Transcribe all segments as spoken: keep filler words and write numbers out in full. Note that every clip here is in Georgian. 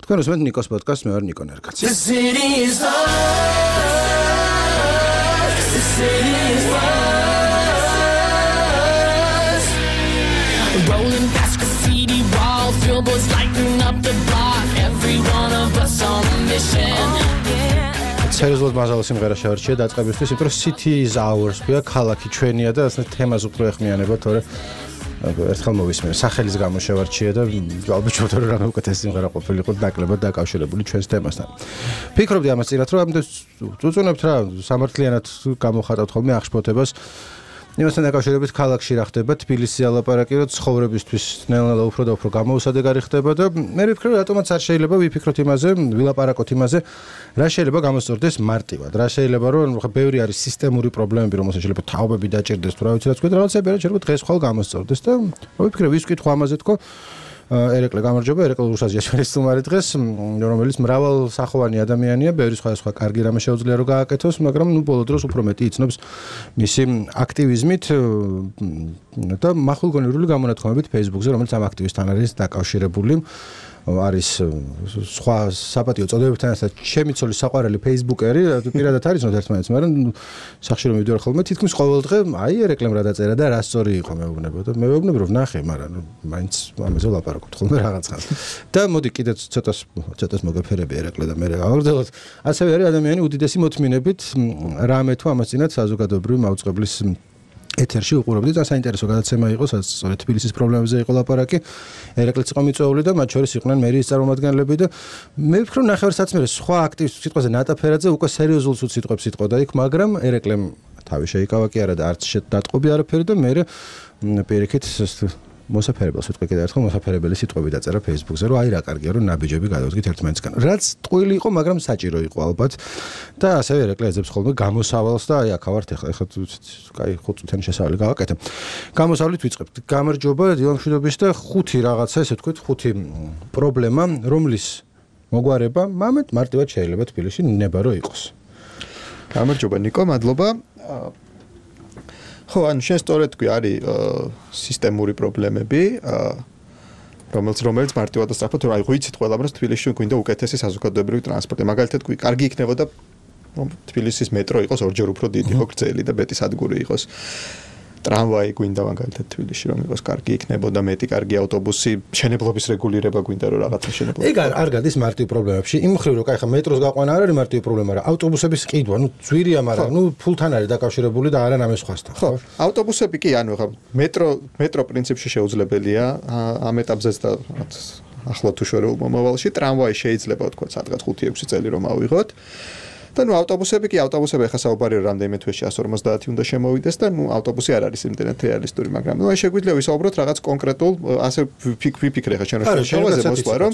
თქვენ უსმენთ ნიკოს პოდკასტს, მე ვარ ნიკო ნერგაცი. Rolling past graffiti walls, billboards lighting up the block. Every one of us on a mission. სერიოზულად მაღალი სიმღერა შევარჩია დაწყებისთვის, იმიტომ რომ City is ours ქვია, ქალაქი ჩვენია და ასეთ თემას უფრო ეხმიანება, თორე ერთხელ მოვისმენე, სახელის გამო შევარჩია და ალბათ შევთვალე რომ რამე უკეთესი სიმღერა ყოფილიყო ნაკლებად დაკავშირებული ჩვენს თემასთან. ფიქრობდი ამას წინათ, რომ ამდენ წუწუნებთ რა, სამართლიანად გამოხატავთ ხოლმე აღშფოთებას. იმასთან დაკავშირებით ქალაქში რა ხდება, თბილისის ალაპარაკი, რომ ცხოვრებისთვის ნელ-ნელა უფრო და უფრო გამოუსადეგარი ხდება და მე ვფიქრობ, რატომაც არ შეიძლება ვიფიქროთ იმაზე, ვილაპარაკოთ იმაზე, რა შეიძლება გამოსწორდეს მარტივად. რა შეიძლება რომ ხა ბევრი არის სისტემური პრობლემები, რომელსაც შეიძლება თაობები დაჭირდეს თუ რა ვიცი რაც თქვა, რაღაცები რა შეიძლება დღეს ხვალ გამოსწორდეს და ვიფიქრე ვის ვკითხო ამაზე თქო ერეკლე გამარჯობა, ერეკლე რუსაზია ჩვენი სტუმარი დღეს, რომელიც მრავალსახოვანი ადამიანია, ბევრი სხვადასხვა კარგი რამე შეუძლია რომ გააკეთოს, მაგრამ ნუ ბოლო დროს უფრო მეტი იცნობს მისი აქტივიზმით და მახვილგონივრული გამონათქვამებით Facebook-ზე, რომელიც ამ აქტივისტთან არის დაკავშირებული. არის სხვა საპატიო წოდებებთან ერთად ჩემი ცოლის საყვარელი ფეისბუქერი, პირადად არისნოთ ერთმანეთს, მაგრამ სახში რომ მივდივარ ხოლმე, თითქმის ყოველ დღე აი ერეკლემ რა დაწერა და რა სწორი იყო მეუბნება და მე ვეუბნები რომ ნახე, მაგრამ მაინც ამაზე ვლაპარაკობთ ხოლმე რაღაცას. და მოდი კიდეც ცოტას ცოტას მოგეფერები ერეკლე და მე გავაგრძელოთ. ასევე არის ადამიანი უდიდესი მოთმინებით რამე თუ ამას წინათ საზოგადოებრივი მაუწყებლის ეთერში უყურებდი და საინტერესო გადაცემა იყო, სადაც სწორედ თბილისის პრობლემებზე იყო ლაპარაკი. ერეკლეც იყო მიწვეული და მათ შორის იყვნენ მერიის წარმომადგენლები და მე ვფიქრობ ნახევარსაცმელი სხვა აქტივისტ სიტყვაზე ნატაფერაძე უკვე სერიოზულ სიტყვებს იტყოდა იქ, მაგრამ ერეკლემ თავი შეიკავა კი არა და არც შედატყობი არაფერი და მე პირიქით მოსაფერებელს ვიტყვი კიდევ ერთხელ მოსაფერებელი სიტყვები დაწერა Facebook-ზე, რომ აი რა კარგია რომ ნაბიჯები გადავდგით ერთმანეთისგან. რაც ტყუილი იყო, მაგრამ საჭირო იყო ალბათ. და ასევე ერეკლე ეძებს ხოლმე გამოსავალს და აი აქ ვართ ახლა, ეხლა კაი ხუთ წუთიანი შესავალი გავაკეთე. გამოსავლით ვიწყებთ. გამარჯობა დილამშვიდობის და ხუთი რაღაცა, ესე ვთქვით, ხუთი პრობლემა, რომლის მოგვარება მამეთ მარტივად შეიძლება თბილისში ნება რო იყოს. გამარჯობა ნიკო, მადლობა. ხო, ან შენ სწორედ თქვი, არის სისტემური პრობლემები, რომელიც რომელიც მარტივად და სწრაფად რა იცით ყველა, რომ თბილისში გვინდა უკეთესი საზოგადოებრივი ტრანსპორტი. მაგალითად, თქვი, კარგი იქნებოდა რომ თბილისის მეტრო იყოს ორჯერ უფრო დიდი, ხო, გრძელი და მეტი სადგური იყოს. ტრამვაი გვინდა მაგალითად თბილისში რომ იყოს კარგი იქნებოდა, მეტი კარგი ავტობუსი, შენებლობის რეგულირება გვინდა რომ რაღაცა შენებლობა. ეგ არ გადის მარტივ პრობლემებში. იმ მხრივ რომ კაი ხა მეტროს გაყვანა არ არის მარტივ პრობლემა, რა ავტობუსების ყიდვა, ნუ ძვირია, მაგრამ ნუ ფულთან არის დაკავშირებული და არა რამე სხვასთან. ხო, ავტობუსები კი, ანუ ხა მეტრო მეტრო პრინციპში შეუძლებელია ამ ეტაპზეც და ახლა თუ შორეულ მომავალში, ტრამვაი შეიძლება თქვა სადღაც ხუთი ექვსი წელი რომ ავიღოთ. და ნუ ავტობუსები კი ავტობუსები ახლა საუბარია რამდენიმე თვეში εκατს ორმოცდაათი უნდა შემოვიდეს და ნუ ავტობუსი არ არის იმდენად რეალისტური, მაგრამ ნუ აი შეგვიძლია ვისაუბროთ რაღაც კონკრეტულ ასე ვიფიქრე ხა ჩვენ შევაზე მოსვლა რომ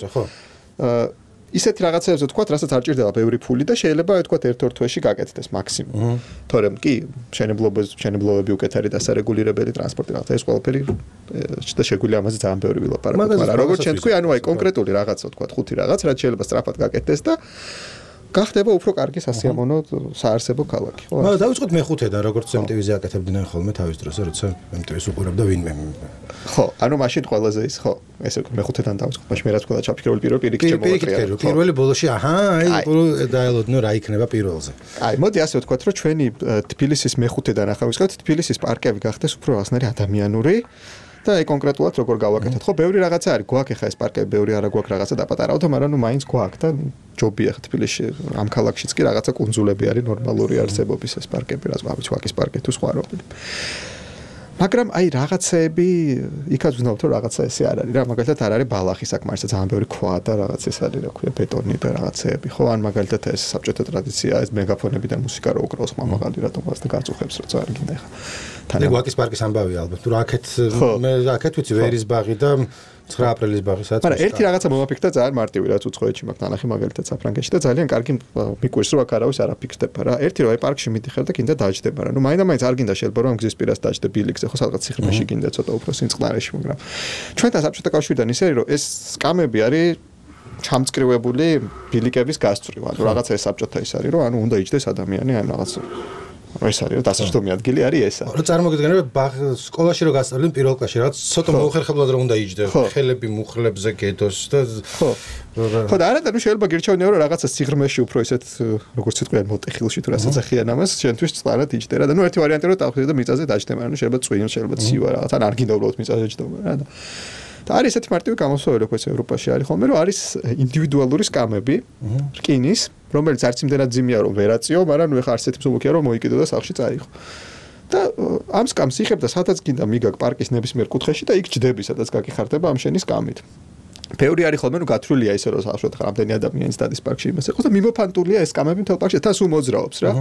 ისეთი რაღაცებზე თქვა, რასაც არ ჭირდება ბევრი ფული და შეიძლება თქვა ერთ-ორ თვეში გაკეთდეს მაქსიმუმ. თორემ კი შენებლობები შენებლობები უკეთ არის დასარეგულირებელი ტრანსპორტი რაღაცა ეს ყველაფერი და შეგვიძლია ამაზე ძალიან ბევრი ვილაპარაკოთ, მაგრამ როგორც ჩვენ თქვი, ანუ აი კონკრეტული რაღაცა თქვა, ხუთი რაღაც, რაც შეიძლება სწრაფად გაკეთდეს და გახდება უფრო კარგი სასიამოვნო საარსებო ქალაქი, ხო? მაგრამ დავიწყოთ მეხუთედან, როგორც em tv ზე აკეთებდნენ ხოლმე თავის დროს, როცა em tv-ს უყურებდა ვინმე. ხო, ანუ მაშინ ყველაზე ის, ხო, ესე მეხუთედან დავიწყოთ, მაშინ მე რაც ყველა ჩაფიქრებული პირველ პირიქით შემოვაყრია. პირველი ბოლოში, აჰა, აი უფრო დაელოდნო რა იქნება პირველზე. აი, მოდი ასე ვთქვათ, რომ ჩვენი თბილისის მეხუთედან ახლა ვისკოთ, თბილისის პარკები გახდეს უფრო რაღაცნაირი ადამიანური და აი კონკრეტულად როგორ გავაკეთოთ. ხო, ბევრი რაღაცა არის, გვაქვს ახლა ეს პარკები, ბევრი არა გვაქვს რაღაცა დაპატარავდა, მაგრამ ნუ მაინც გვაქვს და ჯობია ხა თბილისში ამ ქალაქშიც კი რაღაცა კუნძულები არის ნორმალური არსებობის ეს პარკები, რაც ვაბიც ვაკის პარკი თუ სხვა რობილი. მაგრამ აი რაღაცეები იქაც ვзнав თუ რაღაცა ესე არ არის რა, მაგალითად არ არის ბალახი საკმარისად ძალიან ბევრი ქვა და რაღაც ეს არის რა ქვია ბეტონი და რაღაცეები. ხო, ან მაგალითად ეს საბჭოთა ტრადიცია ეს მეგაფონები და მუსიკა რო უკრავს მამაღალი რატომ ასე გაწუხებს როცა არ გინდა ხა. თან გვაკის პარკის ამბავია ალბათ. თუ რა აქეთ მე აქეთ ვიცი ვერის ბაღი და ცხრა აპრილის ბაღი სადაც. მაგრამ ერთი რაღაცა მომაფიქრდა ძალიან მარტივი რაც უცხოეთში მაგ თანახი მაგალითად საფრანგეთში და ძალიან კარგი მიკვირს რომ აქ არავის არ აფიქსდება რა. ერთი რომ აი პარკში მიდიხარ და კიდე დაждდება რა. ნუ მაინდა-მაინც არ გინდა შეიძლება რომ გზის პირას დაждდე ბილიქზე ხო სადღაც სიხრმეში გინდა ცოტა უფრო სინწყნარეში, მაგრამ ჩვენთან საბჭოთა კავშირიდან ისე რომ ეს სკამები არის ჩამწკრივებული ბილიკების გასწვრივ. ანუ რაღაცა ეს საბჭოთა ის არის რომ ანუ უნდა იჯდეს ადამიანი ან რაღაც ეს არის დასაჯდომი ადგილი არის ესა. რა წარმოგიდგენთ სკოლაში რო გასწავლენ პირველ კლასში რაც ცოტა მოუხერხებლად რომ უნდა იჯდე ხელები მუხლებზე გედოს და ხო ხო და არა და შეიძლება გირჩევნია რომ რაღაცა სიღრმეში უფრო ისეთ როგორც თქვენ მოტეხილში თუ რასაც ახიან ამას შენთვის წყარად იჯდე რა და ნუ ერთი ვარიანტი რომ დავხვიდე და მიწაზე დაჯდე მაგრამ შეიძლება წვიმ შეიძლება ცივა რაღაც ან არ გინდა უბრალოდ მიწაზე ჯდომა რა და და არის ესეთი მარტივი გამოსავალი როგორც ევროპაში არის ხოლმე რომ არის ინდივიდუალური სკამები რკინის რომელიც არც იმდენად ძიმია რომ ვერაწიო მაგრამ ნუ ეხა არსეთი მსუბუქია რომ მოიკიდო და სახლში წაიღო და ამ სკამს იხებ და სადაც გინდა მიგაკ პარკის ნებისმიერ კუთხეში და იქ ჯდები სადაც გაგიხარდება ამ შენი სკამით ბევრი არის ხოლმე რომ გათვლილია ისე რომ სახლში რამდენი ადამიანი დადის პარკში იმას ეხოს და მიმოფანტულია ეს სკამები მთელ პარკში თან სულ მოძრაობს რა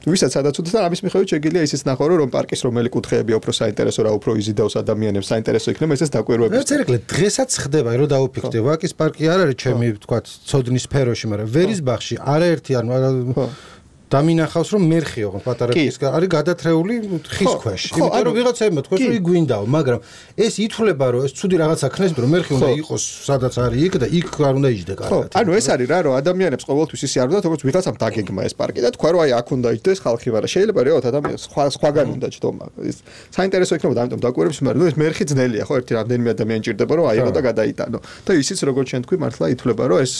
ვისაც სადაც უდას და ამის მიხედვით შეგიძლია ისიც ნახო რომ პარკის რომელი კუთხეებია უფრო საინტერესო რა უფრო იზიდავს ადამიანებს საინტერესო იქნება ესეც დაკვირვების ეს ერეკლე დღესაც ხდება რომ დაუფიქრდე ვაკის პარკი არ არის ჩემი თქვა ცოდნის სფეროში მაგრამ ვერის ბაღში არაერთი ანუ დამინახავს რომ მერხი ოღონდ პატარა ის არის გადათრეული ხის ქვეშ იმიტომ რომ ვიღაცაებმა თქვენ რომ იგვინდაო მაგრამ ეს ითვლება რომ ეს ცუდი რაღაცა ქნეს რომ მერხი უნდა იყოს სადაც არის იქ და იქ არ უნდა იჯდე კარგად ანუ ეს არის რა რომ ადამიანებს ყოველთვის ისე არ უნდა თქოს ვიღაცამ დაგეგმა ეს პარკი და თქვა რომ აი აქ უნდა იჯდეს ხალხი მაგრამ შეიძლება რეალურად ადამიანს სხვა სხვაგან უნდა ჯდომა ეს საინტერესო იქნება ამიტომ დაკვირვებს მაგრამ ნუ ეს მერხი ძნელია ხო ერთი რამდენიმე ადამიანი ჭირდება რომ აიღო და გადაიტანო და ისიც როგორც შენ თქვი მართლა ითვლება რომ ეს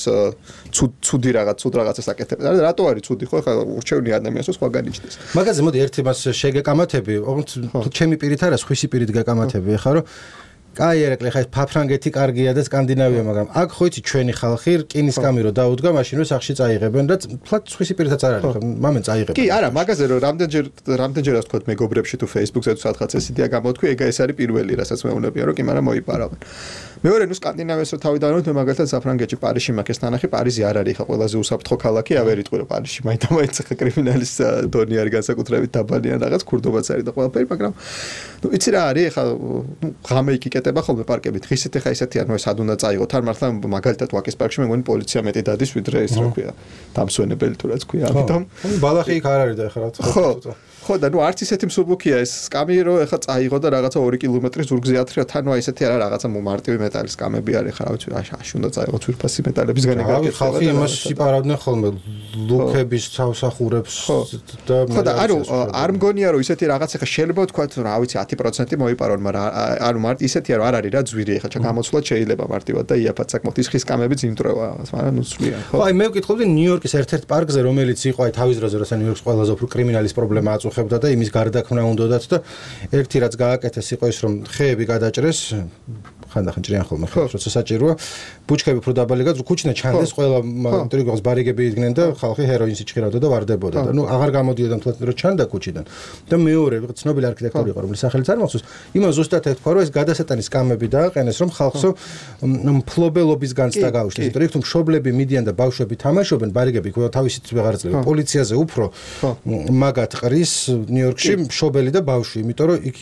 ცუდი რაღაც ცუდ რაღაცას აკეთებს რატო არის ცუდი ხო ხა ურჩევნი ადამიანს სხვაგან იჯდეს მაგაზე მოდი ერთი მას შეგეკამათები ოღონდ ჩემი პირით არა სხვისი პირით გაკამათები ხა რომ კაი ერეკლე ხა ეს ფაფრანგეთი კარგია და სკანდინავია მაგრამ აქ ხო იცი ჩვენი ხალხი რკინის კამი რო დაუდგა მაშინ რო სახში წაიღებენ და თლაც სხვისი პირითაც არ არის ხა მამენ წაიღებენ კი არა მაგაზე რომ რამდენჯერ რამდენჯერაც თქვა მეგობრებში თუ Facebook-ზე თუ სადღაც ეს იდეა გამოთქვი ეგ ეს არის პირველი რასაც მეუბნებია რომ კი მაგრამ მოიპარავენ მეორე ნუ სკანდინავიას რო თავი დავანოთ მე მაგალითად საფრანგეთში პარიზში მაგას თანახი პარიზი არ არის ხა ყველაზე უსაფრთხო ქალაქი ავერიტყვი რომ პარიზში მაინდა-მაინც ხა კრიმინალის დონი არის განსაკუთრებით დაბალი ან რაღაც ქურდობაც არის და ყველაფერი მაგრამ ნუ იცი რა არის ხა ნუ ღამე იკიკეტება ხოლმე პარკებით ღისით ხა ისეთი ანუ ეს ად უნდა წაიღოთ არ მართლა მაგალითად ვაკის პარკში მე მგონი პოლიცია მეტი დადის ვიდრე ეს რა ქვია დამსვენებელი თუ რაც ქვია ამიტომ ბალახი იქ არ არის და ხა რა ხო ხო და ნუ არც ისეთი მსუბუქია ეს სკამი რომ ეხა წაიღო და რაღაცა ორი კილომეტრის ზურგზე ათრია თან აი ესეთი არა რაღაცა მარტივი მეტალის სკამები არის ხა რა ვიცი აში უნდა წაიღო ძვირფასი მეტალებისგან ეგაკეთება ხალხი იმას იპარავდნენ ხოლმე ლუკების თავსახურებს და ხო და ანუ არ მგონია რომ ისეთი რაღაც ეხა შეიძლება ვთქვა რა ვიცი ათი პროცენტი მოიპარონ მაგრამ ანუ მარტ ისეთია რომ არ არის რა ძვირი ეხა ჩა გამოცვლად შეიძლება მარტივად და იაფად საკმაოდ ის ხის სკამებიც იმტრევა მაგრამ ნუ სვლიან ხო აი მე ვკითხობდი ნიუ-იორკის ერთ-ერთ პარკზე რომელიც იყო აი თავის დროზე როცა ნიუ-იორკის ყველაზე უფრო კრიმინალის პრობლემა აწუხებდა და იმის გარდაქმნა უნდათ და ერთი რაც გააკეთეს იყო ის რომ ხეები გადაჭრეს ხანდახან ჭრიან ხოლმე როცა საჭიროა ბუჩქები უფრო დაბალი გაძრო ქუჩინა ჩანდეს ყველა ინტერიგოს ბარიგები იდგნენ და ხალხი ჰეროინს იჭხირავდა და ვარდებოდა და ნუ აღარ გამოდიოდა მთლად რომ ჩანდა ქუჩიდან და მეორე ცნობილი არქიტექტორი იყო რომელიც სახელიც არ მახსოვს იმან ზუსტად ეთქვა რომ ეს გადასატანის სკამები დააყენეს რომ ხალხსო მფლობელობის განცდა გაუშვეს იმიტომ რომ თუ მშობლები მიდიან და ბავშვები თამაშობენ ბარიგები ყველა თავისით ვეღარძლება პოლიციაზე უფრო მაგათ ყრის ნიუ-იორკში მშობელი და ბავშვი იმიტომ რომ იქ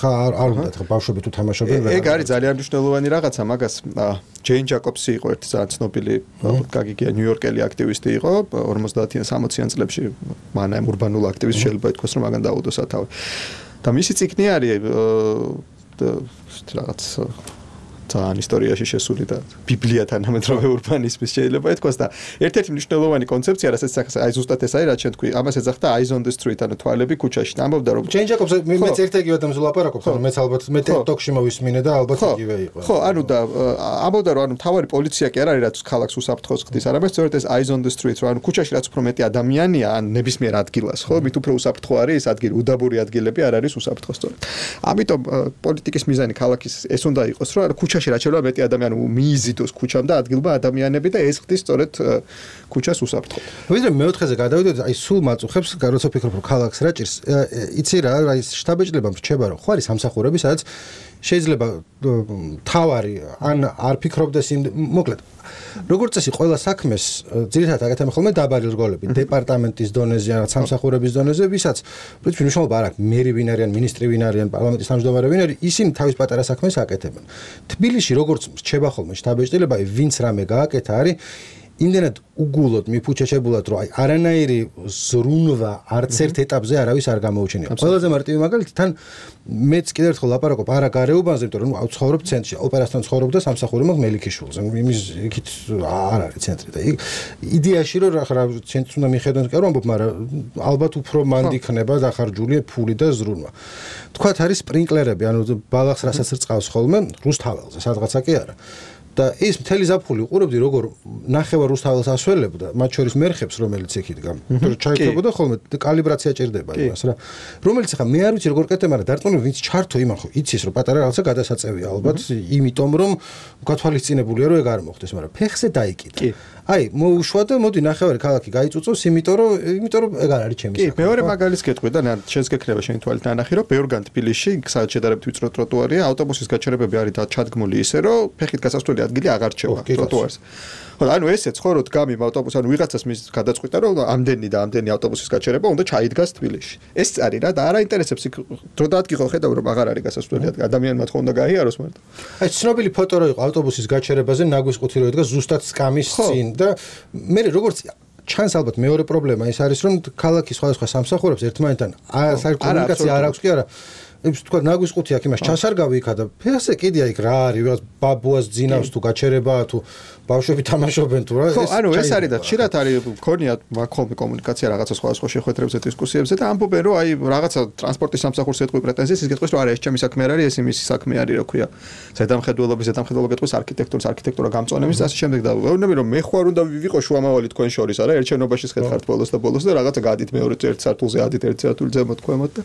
ხა არ უნდა ხა ბავშვები თუ თამაშობენ ეგ არის ძალიან მნიშვნელოვანი რაღაცა მაგას ჯეინ ჯაკობსი იყო ერთი ძალიან ცნობილი გაგიგია ნიუ-იორკელი აქტივისტი იყო ორმოცდაათიან სამოციან წლებში მანაემ ურბანულ აქტივისტი შეიძლება ითქვას რომ მაგან დაუდო სათავე და მისი წიგნი არის რაღაც ძალიან ისტორიაში შესული და ბიბლიათან ამეთროვე ურბანიზმის შეიძლება ითქვას და ერთ-ერთი მნიშვნელოვანი კონცეფცია რასაც აი ზუსტად ეს არის რაც შენ თქვი ამას ეძახდა eyes on the street ანუ თვალები ქუჩაში ამბობდა რომ ჯეინ ჯაკობსი მეც ერთ-ეგივე ამაზე ლაპარაკობს ანუ მეც ალბათ მე TikTok-ში მოვისმინე და ალბათ იგივე იყო ხო ანუ და ამბობდა რომ ანუ თავარი პოლიცია კი არ არის რაც ქალაქს უსაფრთხოს ხდის არამედ სწორედ ეს eyes on the street რომ ანუ ქუჩაში რაც უფრო მეტი ადამიანია ან ნებისმიერ ადგილას ხო მით უფრო უსაფრთხო არის ეს ადგილი უდაბური ადგილები არ არის უსაფრთხო სწორედ ამიტომ პოლიტიკის მიზანი ქალაქის ეს უნდა იყოს რომ ანუ ქუჩაში რაც შეიძლება მეტი ადამიანი მიიზიდოს ქუჩამ და ადგილობა ადამიანები და ეს ხდის სწორედ ქუჩას უსაფრთხო. ვიდრე მეოთხეზე გადავიდეთ, აი სულ მაწუხებს, როცა ფიქრობ რომ ქალაქს რა ჭირს. იცი რა, აი შტაბეჭდილება რჩება რომ ხო არის სამსახურები, სადაც შეიძლება თავარი ან არ ფიქრობდეს იმ მოკლედ როგორც წესი ყველა საქმეს ძირითადად აკეთებენ ხოლმე დაბალი რგოლები დეპარტამენტის დონეზე ან სამსახურების დონეზე ვისაც პრინციპში მნიშვნელობა არ აქვს მერი ვინ არიან მინისტრი ვინ არიან პარლამენტის თავმჯდომარე ვინ არის ისინი თავის პატარა საქმეს აკეთებენ თბილისში როგორც რჩება ხოლმე შტაბეჭდილება ვინც რამე გააკეთა არის იმდენად უგულოდ მიფუჩეჩებულად რომ აი არანაირი ზრუნვა არც ერთ ეტაპზე არავის არ გამოუჩენია. ყველაზე მარტივი მაგალითი თან მეც კიდევ ერთხელ ლაპარაკობ არა გარეუბანზე, იმიტომ რომ ნუ ცხოვრობ ცენტრში, ოპერასთან ცხოვრობ და სამსახური მაქვს მელიქიშვილზე. იმის იქით არ არის ცენტრი და იდეაში რომ რა ცენტრს უნდა მიხედონ კი არ ვამბობ, მაგრამ ალბათ უფრო მანდ იქნება დახარჯული ფული და ზრუნვა. თქვათ არის სპრინკლერები, ანუ ბალახს რასაც რწყავს ხოლმე რუსთაველზე, სადღაცა კი არა. და ის მთელი ზაფხული უყურებდი როგორ ნახევარ რუსთაველს ასველებდა, მათ შორის მერხებს, რომელიც იქ იდგა. იმიტომ რომ ჩაიქრებოდა ხოლმე კალიბრაცია ჭირდება იმას რა. რომელიც ახლა მე არ ვიცი როგორ კეთდება, მაგრამ დარწმუნებული ვინც ჩართო იმან ხო იცის რომ პატარა რაღაცა გადასაწევია ალბათ, იმიტომ რომ გათვალისწინებულია რომ ეგ არ მოხდეს, მაგრამ ფეხზე დაიკიდა. აი, მოუშვა და მოდი ნახევარი ქალაქი გაიწუწოს, იმიტომ რომ იმიტომ რომ ეგ არ არის ჩემი საქმე. კი, მეორე მაგალითს გეტყვი და შენს გეკრება შენი თვალით ნანახი, რომ ბევრგან თბილისში, სადაც შედარებით ვიწრო ტროტუარია, ავტობუსის გაჩერებები არის ჩადგმული ისე, რომ ფეხით გასასვლელი ადგილი აღარ რჩევა ტროტუარზე. ხო, ანუ ესე ცხოვრობთ გამი ავტობუსი, ანუ ვიღაცას მის გადაწყვიტა, რომ ამდენი და ამდენი ავტობუსის გაჩერება უნდა ჩაიდგას თბილისში. ეს არის რა და არ აინტერესებს იქ დრო დაადგილო ხედავ რომ აღარ არის გასასვლელი ადგილი, ადამიანმა თქო უნდა გაიაროს მარტო. აი, ცნობილი ფოტო რო იყო ავტობუსის გაჩერებაზე, ნაგვის ყუთი რო იდგა ზუსტად სკამის წინ და მე როგორც ჩანს ალბათ მეორე პრობლემა ის არის რომ ქალაქის სხვადასხვა სამსახურებს ერთმანეთთან საერთო არ აქვს კი არა ეს თქვა ნაგვის ყუთი აქ იმას ჩასარგავი იქა და ფეხზე კიდე აი რა არის ვიღაც ბაბუას ძინავს თუ გაჩერებაა თუ ბავშვები თამაშობენ თუ რა ეს ანუ ეს არის და ხშირად არის მქონია მაქოლმე კომუნიკაცია რაღაცა სხვადასხვა შეხვედრებზე დისკუსიებზე და ამბობენ რომ აი რაღაცა ტრანსპორტის სამსახურს ეთყვი პრეტენზიას ის გეტყვის რომ არა ეს ჩემი საქმე არ არის ეს იმის საქმე არის რა ქვია ზედამხედველობის ზედამხედველობა გეტყვის არქიტექტურის არქიტექტურა გამწონების და ასე შემდეგ და ვეუბნები რომ მე ხوار უნდა ვიყო შუამავალი თქვენ შორის არა ერთ შენობაში შეხედხართ ბოლოს და ბოლოს და რაღაცა გადით მეორე ერთ სართულზე ადით ერთ სართულზე მოთქვამოთ და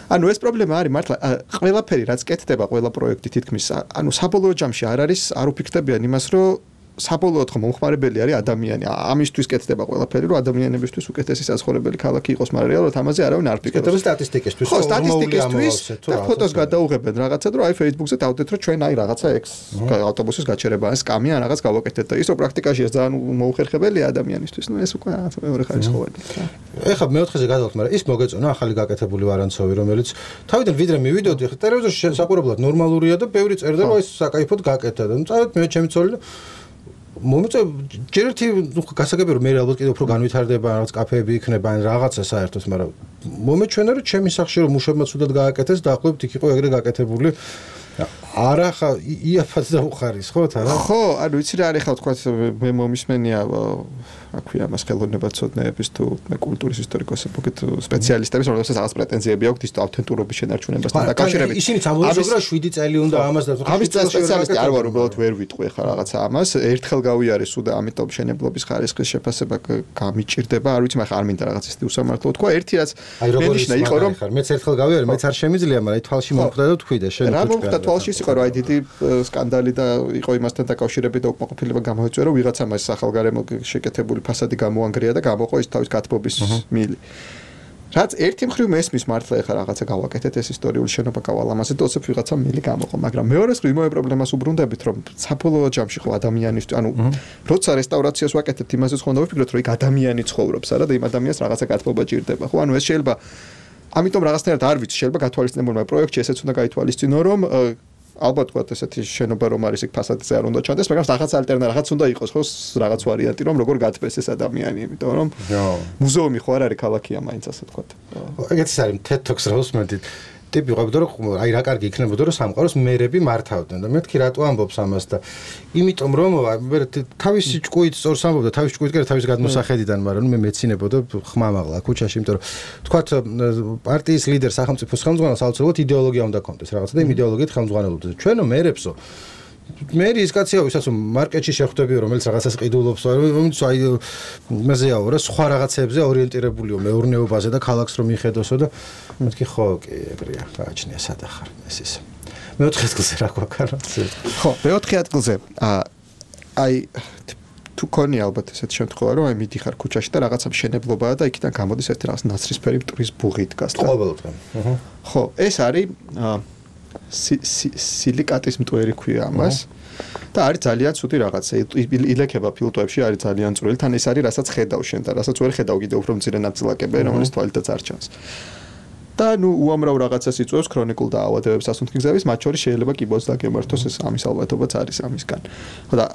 ანუ ეს პრობლემა არის მართლა ყველაფერი რაც კეთდება ყველა პროექტი თითქმის ანუ საბოლოო ჯამში არ არის არ უფიქრდებიან იმას რომ საბოლოოდ ხო მომხმარებელი არის ადამიანი ამისთვის კეთდება ყველაფერი რომ ადამიანებისთვის უკეთესი საცხოვრებელი ქალაქი იყოს მაგრამ რეალურად ამაზე არავინ არ ფიქრობს კეთდება სტატისტიკისთვის ხო სტატისტიკისთვის და ფოტოს გადაუღებენ რაღაცა რომ აი Facebook-ზე დავდეთ რომ ჩვენ აი რაღაცა ექს ავტობუსის გაჩერება ან სკამი ან რაღაც გავაკეთეთ და ის რომ პრაქტიკაშია ძალიან მოუხერხებელია ადამიანისთვის ნუ ეს უკვე მეორე ხარისხოვანი ეხლა მეოთხეზე გადავხთ მაგრამ ის მოგეწონა ახალი გაკეთებული ვარანცოვი რომელიც თავიდან ვიდრე მივიდოდი ხა ტელევიზორში საყურებლად ნორმალურია და ბევრი წერდა რომ ეს საკაიფოდ გაკეთდა და ნუ წავედ მე ჩემი ცოლი მომწე ჯერ ერთი გასაგები რომ მე ალბათ კიდევ უფრო განვითარდება რაღაც კაფეები იქნება ან რაღაცა საერთოდ მაგრამ მომეჩვენა რომ ჩემი სახში რომ მუშებმა ცუდად გააკეთეს და ახლობთ იქ იყო ეგრე გაკეთებული არა ხა იაფად დაუხარის ხო თან ხო ანუ იცი რა არის ხა თქვა მე მომისმენია რა ქვია მას ხელოვნებაცოდნეების თუ მე კულტურის ისტორიკოსები მოგეთ სპეციალისტების რომელსაც რაღაც პრეტენზიები აქვთ ის ავთენტურობის შენარჩუნებასთან დაკავშირებით ისინი წამოიძრა რომ შვიდი წელი უნდა ამას და ამის სპეციალისტი არ ვარ უბრალოდ ვერ ვიტყვი ხა რაღაცა ამას ერთხელ გავიარე სულ და ამიტომ შენებლობის ხარისხის შეფასება გამიჭირდება არ ვიცი მაგრამ არ მინდა რაღაც ისეთი უსამართლო თქვა ერთი რაც მენიშნა იყო რომ მეც ერთხელ გავიარე მეც არ შემიძლია მაგრამ აი თვალში მომხვდა და თქვი და შენ რა მომხვდა თვალში იყო რომ აი დიდი სკანდალი და იყო იმასთან დაკავშირებით და უკმაყოფილება გამოიწვია რომ ვიღაცა მას ახალგარემო შეკეთებული ფასადი გამოანგრია და გამოყო ის თავის გათბობის მილი. რაც ერთი მხრივ მესმის მართლა ეხა რაღაცა გავაკეთეთ ეს ისტორიული შენობა გავალამაზეთ და ოცებ ვიღაცა მილი გამოყო, მაგრამ მეორე მხრივ იმავე პრობლემას უბრუნდებით რომ საბოლოო ჯამში ხო ადამიანის ანუ როცა რესტავრაციას ვაკეთებთ იმასე ხო უნდა ვიფიქროთ რომ იქ ადამიანი ცხოვრობს არა და იმ ადამიანს რაღაცა გათბობა ჭირდება. ხო ანუ ეს შეიძლება ამიტომ რაღაცნაირად არ ვიცი შეიძლება გათვალისწინებულმა პროექტში ესეც უნდა გაითვალისწინო რომ ალბათ ვთქვათ ესეთი შენობა რომ არის იქ ფასადზე არ უნდა ჩანდეს, მაგრამ რაღაც ალტერნატივა რაღაც უნდა იყოს ხო რაღაც ვარიანტი რომ როგორ გათბეს ეს ადამიანი, იმიტომ რომ მუზეუმი ხო არ არის ქალაქია მაინც ასე ვთქვათ. ეგეც არის TED-Talks როს მეტი ტიპი ყოფდა რომ აი რა კარგი იქნებოდა რომ სამყაროს მერები მართავდნენ და მეთქი რატო ამბობს ამას და იმიტომ რომ მე თავისი ჭკუით სწორს ამბობდა თავისი ჭკუით კი თავის გადმოსახედიდან მაგრამ მე მეცინებოდა ხმამაღლა ქუჩაში იმიტომ რომ თქვათ პარტიის ლიდერ სახელმწიფოს ხელმძღვანელს აუცილებლად იდეოლოგია უნდა კონდეს რაღაცა და იმ იდეოლოგიით ხელმძღვანელობდეს ჩვენო მერებსო მერი ის კაცია ვისაც მარკეტში შეხვდებიო რომელიც რაღაცას ყიდულობს რომელიც აი მეზეაო რა სხვა რაღაცებზე ორიენტირებულიო მეურნეობაზე და ქალაქს რომ მიხედოსო და მეთქი ხო კი ეგრეა გააჩნია სადახარ ეს ის მეოთხე ადგილზე რა გვაქვს ხო მეოთხე ადგილზე აი თუ კონი ალბათ ესეთ შემთხვევა რომ აი მიდიხარ ქუჩაში და რაღაცა მშენებლობაა და იქიდან გამოდის ერთი რაღაც ნაცრისფერი მტრის ბუღი დგას და ყოველდღე ხო ეს არის სილიკატის მტვერი ქვია ამას და არის ძალიან ცუდი რაღაცა ილექება ფილტვებში არის ძალიან წვრილი თან ეს არის რასაც ხედავ შენ და რასაც ვერ ხედავ კიდე უფრო მცირე ნაწილაკები რომელიც თვალითაც არ ჩანს და ნუ უამრავ რაღაცას იწვევს ქრონიკულ დაავადებებს სასუნთქი გზების, მათ შორის შეიძლება კიბოს დაგემართოს ეს ამის ალბათობაც არის ამისგან. ხო და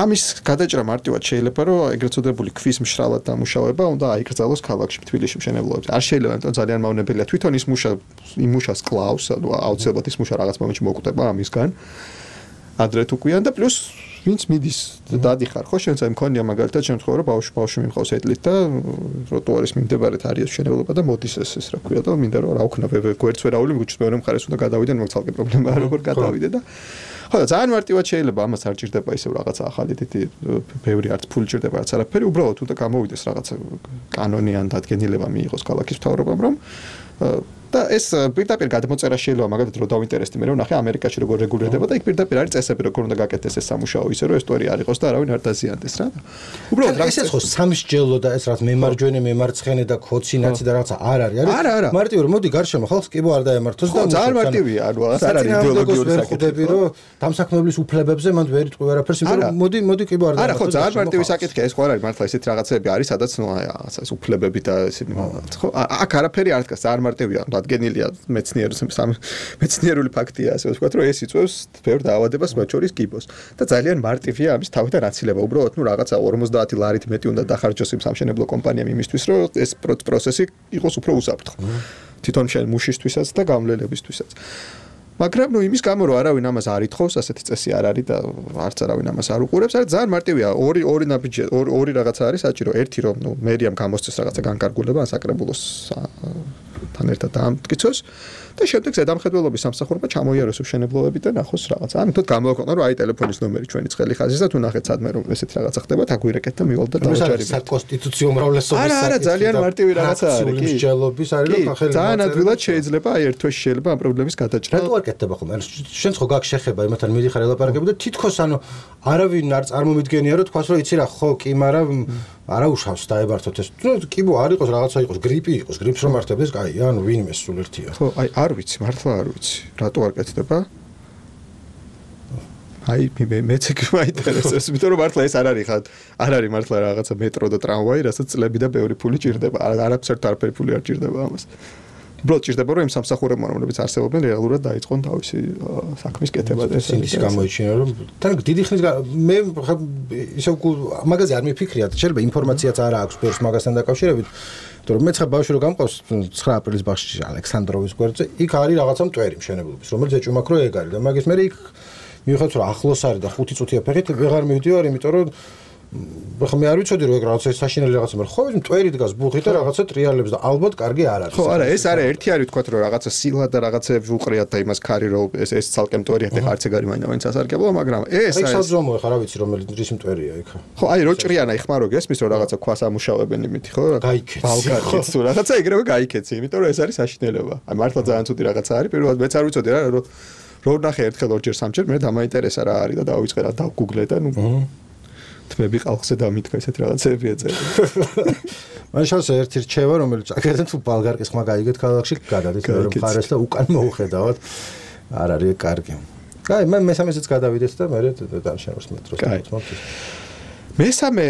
ამის გადაჭრა მარტივად შეიძლება რომ ეგრეთ წოდებული ქვის მშრალად დამუშავება უნდა აიკრძალოს ქალაქში თბილისში მშენებლობებზე. არ შეიძლება ამიტომ ძალიან მავნებელია თვითონ ის მუშა იმ მუშას კლავს, ანუ აუცილებლად ის მუშა რაღაც მომენტში მოკვდება ამისგან. ადრე თუ კვიან და პლუს ვინც მიდის დადიხარ ხო შენც აი მქონია მაგალითად შემთხვევა რომ ბავშვი ბავშვი მიმყავს ეტლით და ტროტუარის მიმდებარედ არის მშენებლობა და მოდის ეს ეს რა ქვია და მინდა რომ რა ვქნა გვერდს ვერაული მიგვიჩნდა მეორე მხარეს უნდა გადავიდე მაგ ცალკე პრობლემაა როგორ გადავიდე და ხო და ძალიან მარტივად შეიძლება ამას არ ჭირდება ისევ რაღაცა ახალი დიდი ბევრი არც ფული ჭირდება არც არაფერი უბრალოდ უნდა გამოვიდეს რაღაცა კანონი ან დადგენილება მიიღოს ქალაქის მთავრობამ რომ და ეს პირდაპირ გადმოწერა შეიძლება მაგალითად რომ დავინტერესდი მე რომ ნახე ამერიკაში როგორ რეგულირდება და იქ პირდაპირ არის წესები როგორ უნდა გაკეთდეს ეს სამუშაო ისე რომ ეს სტორია არ იყოს და არავინ არ დაზიანდეს რა. უბრალოდ რა ეს ხო სამსჯელო და ეს რაც მემარჯვენე მემარცხენე და ქოცინაცი და რაღაცა არ არის არის მარტივი რომ მოდი გარშემო ხალხს კიბო არ დაემართოს და ძალიან მარტივია ანუ არ არის იდეოლოგიური საკითხები რომ დამსაქმებლის უფლებებზე მანდ ვერ იტყვი არაფერს იმიტომ რომ მოდი მოდი კიბო არ დაემართოს. არა ხო ძალიან მარტივი საკითხია ეს ხო არ არის მართლა ესეთი რაღაცები არის სადაც ნუ რაღაცა ეს უფლებები და ესეთი ხო აქ არაფერი არ დგას ძალიან მარტივია დადგენილია მეცნიერული მეცნიერული ფაქტია ასე ვთქვათ რომ ეს იწვევს ბევრ დაავადებას მათ შორის კიბოს და ძალიან მარტივია ამის თავიდან აცილება უბრალოდ ნუ რაღაცა ორმოცდაათი ლარით მეტი უნდა დახარჯოს იმ სამშენებლო კომპანიამ იმისთვის რომ ეს პროცესი იყოს უფრო უსაფრთხო თვითონ შენ მუშისთვისაც და გამლელებისთვისაც მაგრამ ნუ იმის გამო რომ არავინ ამას არ ითხოვს ასეთი წესი არ არის და არც არავინ ამას არ უყურებს არის ძალიან მარტივია ორი ორი ნაბიჯი ორი ორი რაღაცა არის საჭირო ერთი რომ ნუ მერიამ გამოსცეს რაღაცა განკარგულება ან საკრებულოს თან ერთად დაამტკიცოს და შემდეგ ზედამხედველობის სამსახურმა ჩამოიაროს მშენებლობები და ნახოს რაღაცა. ანუ თოთ გამოვაქვეყნა რომ აი ტელეფონის ნომერი ჩვენი ცხელი ხაზის და თუ ნახეთ სადმე რომ ესეთი რაღაცა ხდება დაგვირეკეთ და მივალ და დავაჭარებთ. საკონსტიტუციო უმრავლესობის არა არა ძალიან მარტივი რაღაცა არის კი. მსჯელობის არის რომ ახალი ძალიან ადვილად შეიძლება აი ერთ თვეში შეიძლება ამ პრობლემის გადაჭრა. რატო არ კეთდება ხომ? შენც ხო გაქვს შეხება იმათთან მიდიხარ ელაპარაკები და თითქოს ანუ არავინ არ წარმომიდგენია რომ თქვას რომ იცი რა ხო კი მაგრამ არა უშავს დაებართოთ ეს. ნუ კიბო არ იყოს რაღაცა იყოს გრიპი იყოს გრიპს რომ მართებდეს კაი ანუ ვინმე სულ ერთია. ხო აი არ ვიცი მართლა არ ვიცი რატო არ კეთდება აი მე მეც კი მაინტერესებს იმიტომ რომ მართლა ეს არ არის ხა არ არის მართლა რაღაცა მეტრო და ტრამვაი რასაც წლები და ბევრი ფული ჭირდება არაფერთ არაფერი ფული არ ჭირდება ამას უბრალოდ ჭირდება რომ იმ სამსახურებმა რომლებიც არსებობენ რეალურად დაიწყონ თავისი საქმის კეთება და ეს ის გამოიჩინა რომ თან დიდი ხნის მე ხა ისე მაგაზე არ მიფიქრია შეიძლება ინფორმაციაც არ აქვს ბევრს მაგასთან დაკავშირებით რომ მე ცხა ბავშვი რო გამყავს ცხრა აპრილის ბაღში ალექსანდროვის გვერდზე იქ არის რაღაცა მტვერი მშენებლობის რომელიც ეჭვმაქ რო ეგ არის და მაგის მე იქ მიუხედავად რომ ახლოს არის და ხუთი წუთია ფეხით ვეღარ მივდივარ იმიტომ რომ ხო მე არ ვიცოდი რომ ეგ რაღაცა საშინელი რაღაცა მაგრამ ხო ის მტვერი დგას ბუხით და რაღაცა ტრიალებს და ალბათ კარგი არ არის ხო არა ეს არის ერთი არის თქვა რომ რაღაცა სილა და რაღაცეები უყრიათ და იმას ქარი რომ ეს ეს ცალკე მტვერია და არც ეგ არის მაინც ასარგებლო მაგრამ ეს არის ეს საზომოა ხა რა ვიცი რომელი დრის მტვერია იქ ხო აი რო ჭრიანა იხმა რო გესმის რომ რაღაცა ქვას ამუშავებენ იმითი ხო გაიქეცი ბალკანიც თუ რაღაცა ეგრევე გაიქეცი იმიტომ რომ ეს არის საშინელება აი მართლა ძალიან ცუდი რაღაცა არის პირველად მეც არ ვიცოდი რა რომ რო ნახე ერთხელ ორჯერ სამჯერ მე დამაინტერესა რა არის და დავიწყე რა დავგუგლე და ნუ თმები ყალხზე დამითქა ესეთ რაღაცები ეწერა. მან შანსი ერთი რჩევა რომელიც აკეთეთ თუ ბალგარკის ხმა გაიგეთ ქალაქში გადადის მეორე მხარეს და უკან მოუხედავთ არ არის კარგი. კაი მე მესამესაც გადავიდეთ და მე დანშავრს მეტროს მოწმობთ. მესამე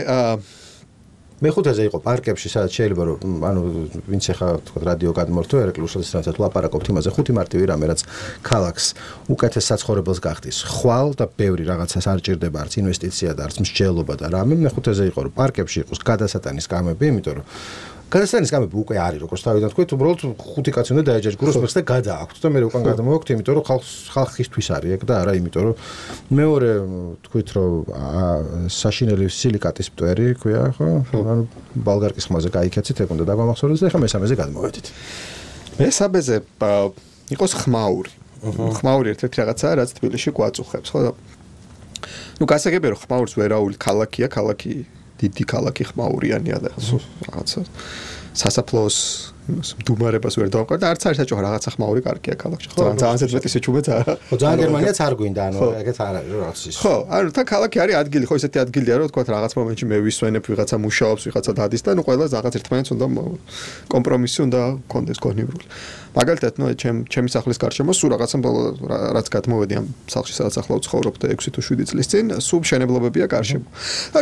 მეხუთეზე იყო პარკებში სადაც შეიძლება რომ ანუ ვინც ახლა თქვა რადიო გადმორთო ერეკლუსაც რასაც ლაპარაკობთ იმაზე ხუთი მარტივი რამე რაც ქალაქს უკეთეს საცხოვრებელს გახდის ხვალ და ბევრი რაღაცას არ ჭირდება არც ინვესტიცია და არც მსჯელობა და რამე მეხუთეზე იყო რომ პარკებში იყოს გადასატანის კამები იმიტომ რომ გადასტანის კამები უკვე არის როგორც თავიდან თქვით უბრალოდ ხუთი კაცი უნდა დაეჯაჭგუროს მეხს და გადააქვთ და მე უკვე გადამოვაქვთ იმიტომ რომ ხალხს ხალხისთვის არის ეგ და არა იმიტომ რომ მეორე თქვით რომ საშინელი სილიკატის მტვერი ქვია ხო ანუ ბალგარკის ხმაზე გაიქეცით ეგ უნდა დაგვამახსოვრდეს და ეხლა მესამეზე გადმოვედით მესამეზე იყოს ხმაური ხმაური ერთ-ერთი რაღაცაა რაც თბილისში გვაწუხებს ხო ნუ გასაგებია რომ ხმაურს ვერაული ქალაქია ქალაქი დიდი ქალაქი ხმაურიანია და რაღაცა სასაფლაოს მდუმარებას ვერ დავყარ და არც არის საჭირო რაღაცა ხმაური კარგია ქალაქში ხო ძალიან ზედმეტი სიჩუმეც არა ხო ძალიან გერმანიაც არ გვინდა ანუ ეგეც არ არის რაღაც ის ხო ანუ თან ქალაქი არის ადგილი ხო ესეთი ადგილია რომ თქვა რაღაც მომენტში მე ვისვენებ ვიღაცა მუშაობს ვიღაცა დადის და ნუ ყველა რაღაც ერთმანეთს უნდა კომპრომისი უნდა კონდეს გონივრული მაგალითად ნუ ჩემ ჩემი სახლის გარშემო სულ რაღაცა რაც გადმოვედი ამ სახლში სადაც ახლა ვცხოვრობ და ექვსი თუ შვიდი წლის წინ სულ მშენებლობებია გარშემო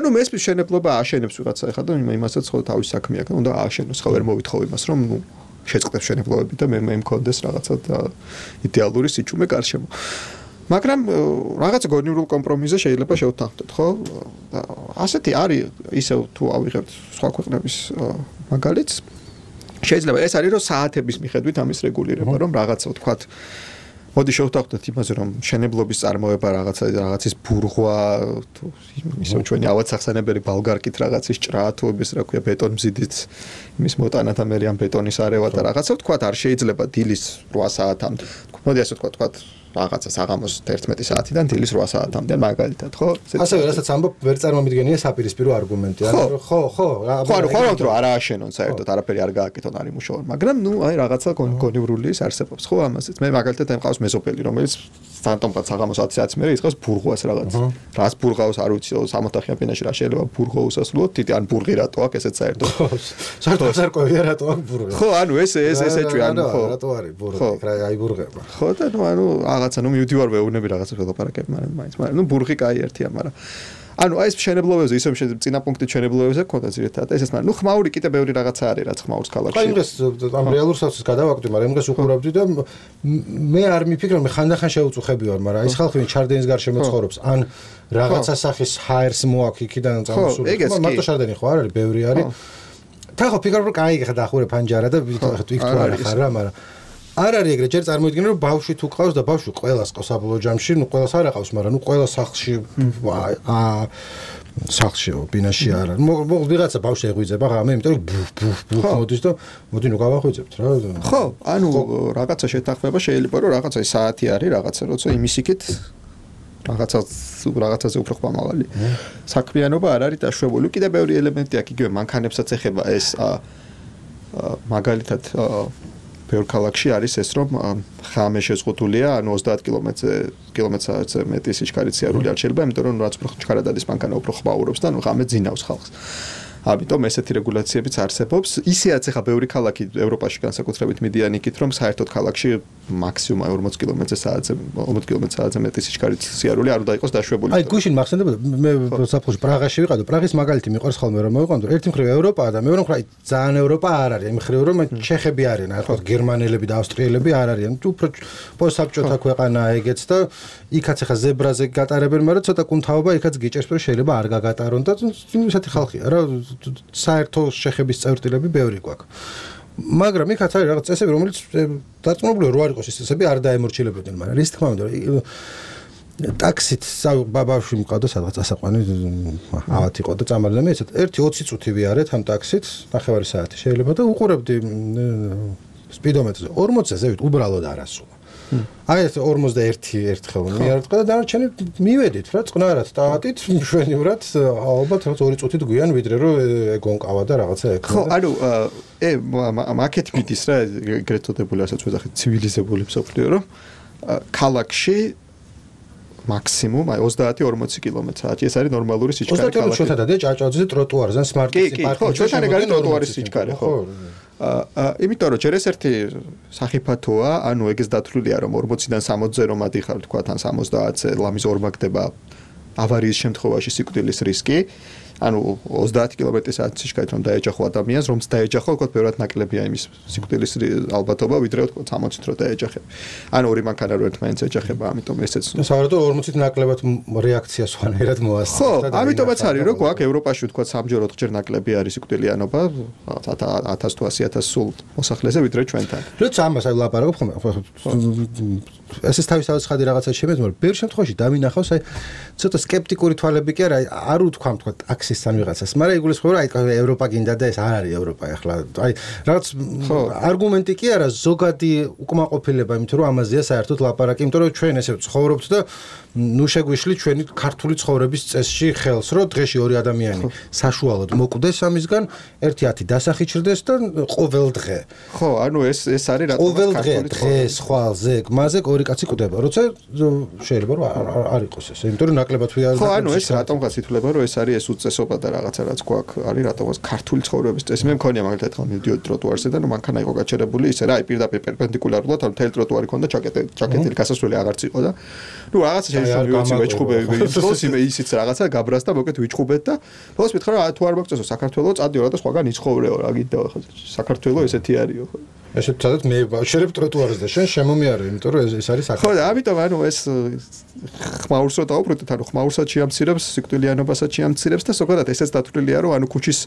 ანუ მესმის მშენებლობა აშენებს ვიღაცა ეხლა და იმასაც ხო თავის საქმე აქვს უნდა ააშენოს ხო ვერ მოვითხოვ იმას რომ შეწყდებს შენებლობები და მე მე მქონდეს რაღაცა იდეალური სიჩუმე გარშემო. მაგრამ რაღაცა გონივრულ კომპრომისზე შეიძლება შევთანხმდეთ, ხო? ასეთი არის ისევ თუ ავიღებთ სხვა ქვეყნების მაგალითს. შეიძლება ეს არის რომ საათების მიხედვით ამის რეგულირება, რომ რაღაცა ვთქვათ მოდი შევთანხმდეთ იმაზე, რომ შენებლობის წარმოება რაღაცა რაღაცის ბურღვა, თუ ისევ ჩვენი ავადსახსენებელი ბალგარკით რაღაცის ჭრა, თუ ეს რა ქვია ბეტონმზიდით იმის მოტანა და მე ამ ბეტონის არევა და რაღაცა ვთქვათ არ შეიძლება დილის რვა საათამდე. მოდი ასე ვთქვათ, ვთქვათ რაღაცა საღამოს ერთმეტი საათიდან დილის რვა საათამდე მაგალითად, ხო? ასევე რასაც ამბობ ვერ წარმომიდგენია საპირისპირო არგუმენტი, არა ხო, ხო, რა ხო, ხო, რომ არა აშენონ საერთოდ, არაფერი არ გააკეთონ, არ იმუშაონ, მაგრამ ნუ აი რაღაცა გონივრული ის არსებობს, ხო, ამაზეც. მე მაგალითად ემყავს მეზობელი, რომელიც ფანტომღაც საღამოს ათი საათის მერე იწყებს ბურღვას რაღაც. რას ბურღავს არ ვიცი, სამოთახიან ფენაში რა შეიძლება ბურღო უსასრულოდ, თითი ან ბურღი რატო აქვს ესეც საერთოდ. საერთოდ არ ყვევია რატო აქვს ბურღი. ხო, ანუ ეს ეს ეს ეჭვი ანუ ხო. რატო არის ბურღი, რა აი ბურღება. ხო და ნუ ანუ რაღაცა ნუ მივდივარ ვეუბნები რაღაცა ველაპარაკებ, მაგრამ მაინც, მაგრამ ნუ ბურღი კაი ერთია, მაგრამ ანუ აი ეს შენებლობებზე ისე წინა პუნქტით შენებლობებზე გქონდა ძირითადად ესეც, მაგრამ ნუ ხმაური კიდე ბევრი რაღაცა არის, რაც ხმაურს ქალაქში. აი დღეს ამ რეალურ საცის გადავაკვდი, მაგრამ დღეს უყურავდი და მე არ მიფიქრე, მე ხანდახან შეუწუხები ვარ, მაგრამ ის ხალხი ვინ ჩარდენის გარშემო ცხოვრობს, ან რაღაცა სახის ჰაერს მოაქვს იქიდან წამოსული. მარტო ჩარდენი ხო არ არის, ბევრი არის. თან ხო ფიქრობ რომ კაი ხა დაახურე ფანჯარა და იქ თუ არ ხარ რა, მაგრამ არ არის ეგრე ჯერ წარმოიდგინე რომ ბავშვი თუ ყავს და ბავშვი ყველას ყავს საბოლოო ჯამში, ნუ ყველას არ აყავს, მაგრამ ნუ ყველა სახლში აა სახლშიო ბინაში არ არის. მოგ ვიღაცა ბავშვი ეღვიძება რა, მე იმიტომ რომ ბუფ ბუფ ბუფ მოდის და მოდი ნუ გავახვიძებთ რა. ხო, ანუ რაღაცა შეთანხმება შეიძლება რომ რაღაცა საათი არის, რაღაცა როცა იმის იქით რაღაცა რაღაცაზე უფრო ხმამავალი. საქმიანობა არ არის დაშვებული. კიდე ბევრი ელემენტი აქვს, იგივე მანქანებსაც ეხება ეს მაგალითად ბევრ ქალაქში არის ეს რომ ხამე შეზღუდულია, ანუ ოცდაათ კილომეტრზე მეტი სიჩქარით სიარული არ შეიძლება, იმიტომ რომ რაც უფრო ჩქარა დადის მანქანა უფრო ხმაურობს და ნუ ხამე ძინავს ხალხს. ამიტომ ესეთი რეგულაციებიც არსებობს. ისეაც ახლა ბევრი ქალაქი ევროპაში განსაკუთრებით მიდიან იქით, რომ საერთოდ ქალაქში მაქსიმუმ ორმოც კილომეტრზე საათზე ორმოც კილომეტრზე საათზე მეტი სიჩქარით სიარული არ უნდა იყოს დაშვებული. აი გუშინ მახსენდებოდა მე საფრთხეში პრაღაში ვიყავ, პრაღის მაგალითი მიყვარს ხოლმე რომ მოვიყვანო, ერთი მხრივ ევროპაა და მეორე მხრივ ძალიან ევროპა არ არის, იმ მხრივ რომ ჩეხები არიან, აი ხო გერმანელები და ავსტრიელები არ არიან. თუ უფრო პოსტსაბჭოთა ქვეყანაა ეგეც და იქაც ახლა ზებრაზე გატარებენ, მაგრამ ცოტა კუნთაობა იქაც გიჭერს, რომ შეიძლება არ გაგატარონ და ისეთი ხალხია რა საერთო შეხების წევრტილები ბევრი გვაქვს. მაგრამ იქაც არის რაღაც წესები, რომელიც დარწმუნებული რო არ იყოს ეს წესები არ დაემორჩილებოდნენ, მაგრამ რის თქმა უნდა ტაქსით ბაბავში მყავდა სადღაც ასაყვანი ავად იყო და წამალდა მე ესეთ ერთი ოცი წუთი ვიარეთ ამ ტაქსით, ნახევარი საათი შეიძლება და უყურებდი სპიდომეტრზე ორმოცზე ზევით უბრალოდ არასულა. აი ეს ორმოცდაერთი ერთხელ მიარეთყა და დანარჩენი მივედით რა წყნარად ტაატით მშვენივრად ალბათ რაღაც ორი წუთით გვიან ვიდრე რომ ეგონკავა და რაღაცა ეკ. ხო, ანუ ე მაკეთ მიდის რა ეგრეთ წოდებული ასაც ვეძახით ცივილიზებული მსოფლიო რომ ქალაქში მაქსიმუმ აი ოცდაათი ორმოცი კილომეტრი ეს არის ნორმალური სიჩქარე ქალაქში. ოცდაათი ჩვენთან და ჭაჭაძე ტროტუარზე სმარტ პარკში. ხო, ჩვენთან ეგ არის ტროტუარის სიჩქარე, ხო. აა იმიტომ რომ ჯერ ეს ერთი სახიფათოა, ანუ ეგეც დათვლილია რომ ორმოციდან სამოცზე რომ ადიხარ თქვა თან სამოცდაათზე ლამის ორმაგდება ავარიის შემთხვევაში სიკვდილის რისკი. ანუ ოცდაათი კილომეტრის საათის სიჩქარით რომ დაეჯახო ადამიანს, რომც დაეჯახო, თქო, ბევრად ნაკლებია იმის სიკვდილის ალბათობა, ვიდრე თქო სამოცით რო დაეჯახებ. ანუ ორი მანქანა რო ერთმანეთს ეჯახება, ამიტომ ესეც. საერთოდ ორმოცით ნაკლებად რეაქცია სვანერად მოასწრა. ხო, ამიტომაც არის რომ გვაქვს ევროპაში თქო სამჯერ ოთხჯერ ნაკლები არის სიკვდილიანობა, ათას თუ ასი ათას სულ მოსახლეზე ვიდრე ჩვენთან. როცა ამას აი ვლაპარაკობ ხოლმე, ესეც თავისთავად ხადი რაღაცა შემეც, მაგრამ ბევრ შემთხვევაში დამინახავს აი ცოტა სკეპტიკური თვალები კი არა, არ უთქვამ თქო ტაქსის ან ვიღაცას, მაგრამ იგულისხმება რომ აი ევროპა გინდა და ეს არ არის ევროპა ახლა. აი რაღაც არგუმენტი კი არა, ზოგადი უკმაყოფილება, იმიტომ რომ ამაზეა საერთოდ ლაპარაკი, იმიტომ რომ ჩვენ ესე ცხოვრობთ და ნუ შეგვიშლი ჩვენი ქართული ცხოვრების წესში ხელს, რომ დღეში ორი ადამიანი საშუალოდ მოკვდეს ამისგან, ერთი ათი დასახიჩრდეს და ყოველ დღე. ხო, ანუ ეს ეს არის რა ყოველ დღე დღეს ხვალზე, მაზე ორი კაცი კვდება, როცა შეიძლება რომ არ იყოს ეს, იმიტომ რომ ნაკლებად ვიარ. ხო, ანუ ეს რატომღაც ითვლება, რომ ეს არის ეს უწესობა და რაღაცა რაც გვაქვს, არის რატომღაც ქართული ცხოვრების წესი. მე მქონია მაგალითად ხომ მივდიოდი ტროტუარზე და ნუ მანქანა იყო გაჩერებული, ისე რა, აი პირდაპირ პერპენდიკულარულად, ანუ მთელი ტროტუარი ქონდა ჩაკეტილი, ჩაკეტილი გასასვლელი აღარც იყო და ნუ რაღაცა შეიძლება ვიცი ვეჭხუბები ის იმე ისიც რაღაცა გაბრას და მოკეთ ვიჭხუბეთ და ბოლოს მითხრა რა თუ არ მოგწესო საქართველოს წადიო რა და სხვაგან იცხოვრეო რა გინდა ხო საქართველოს ესეთი არისო ხო ესე თადათ მე ვაშერებ ტროტუარზე და შენ შემომიარე, იმიტომ რომ ეს არის აქ. ხო, და ამიტომ ანუ ეს ხმაურს რო დავუბრუნდეთ, ანუ ხმაურსაც შეამცირებს, სიკვდილიანობასაც შეამცირებს და ზოგადად ესეც დათვლილია, რომ ანუ ქუჩის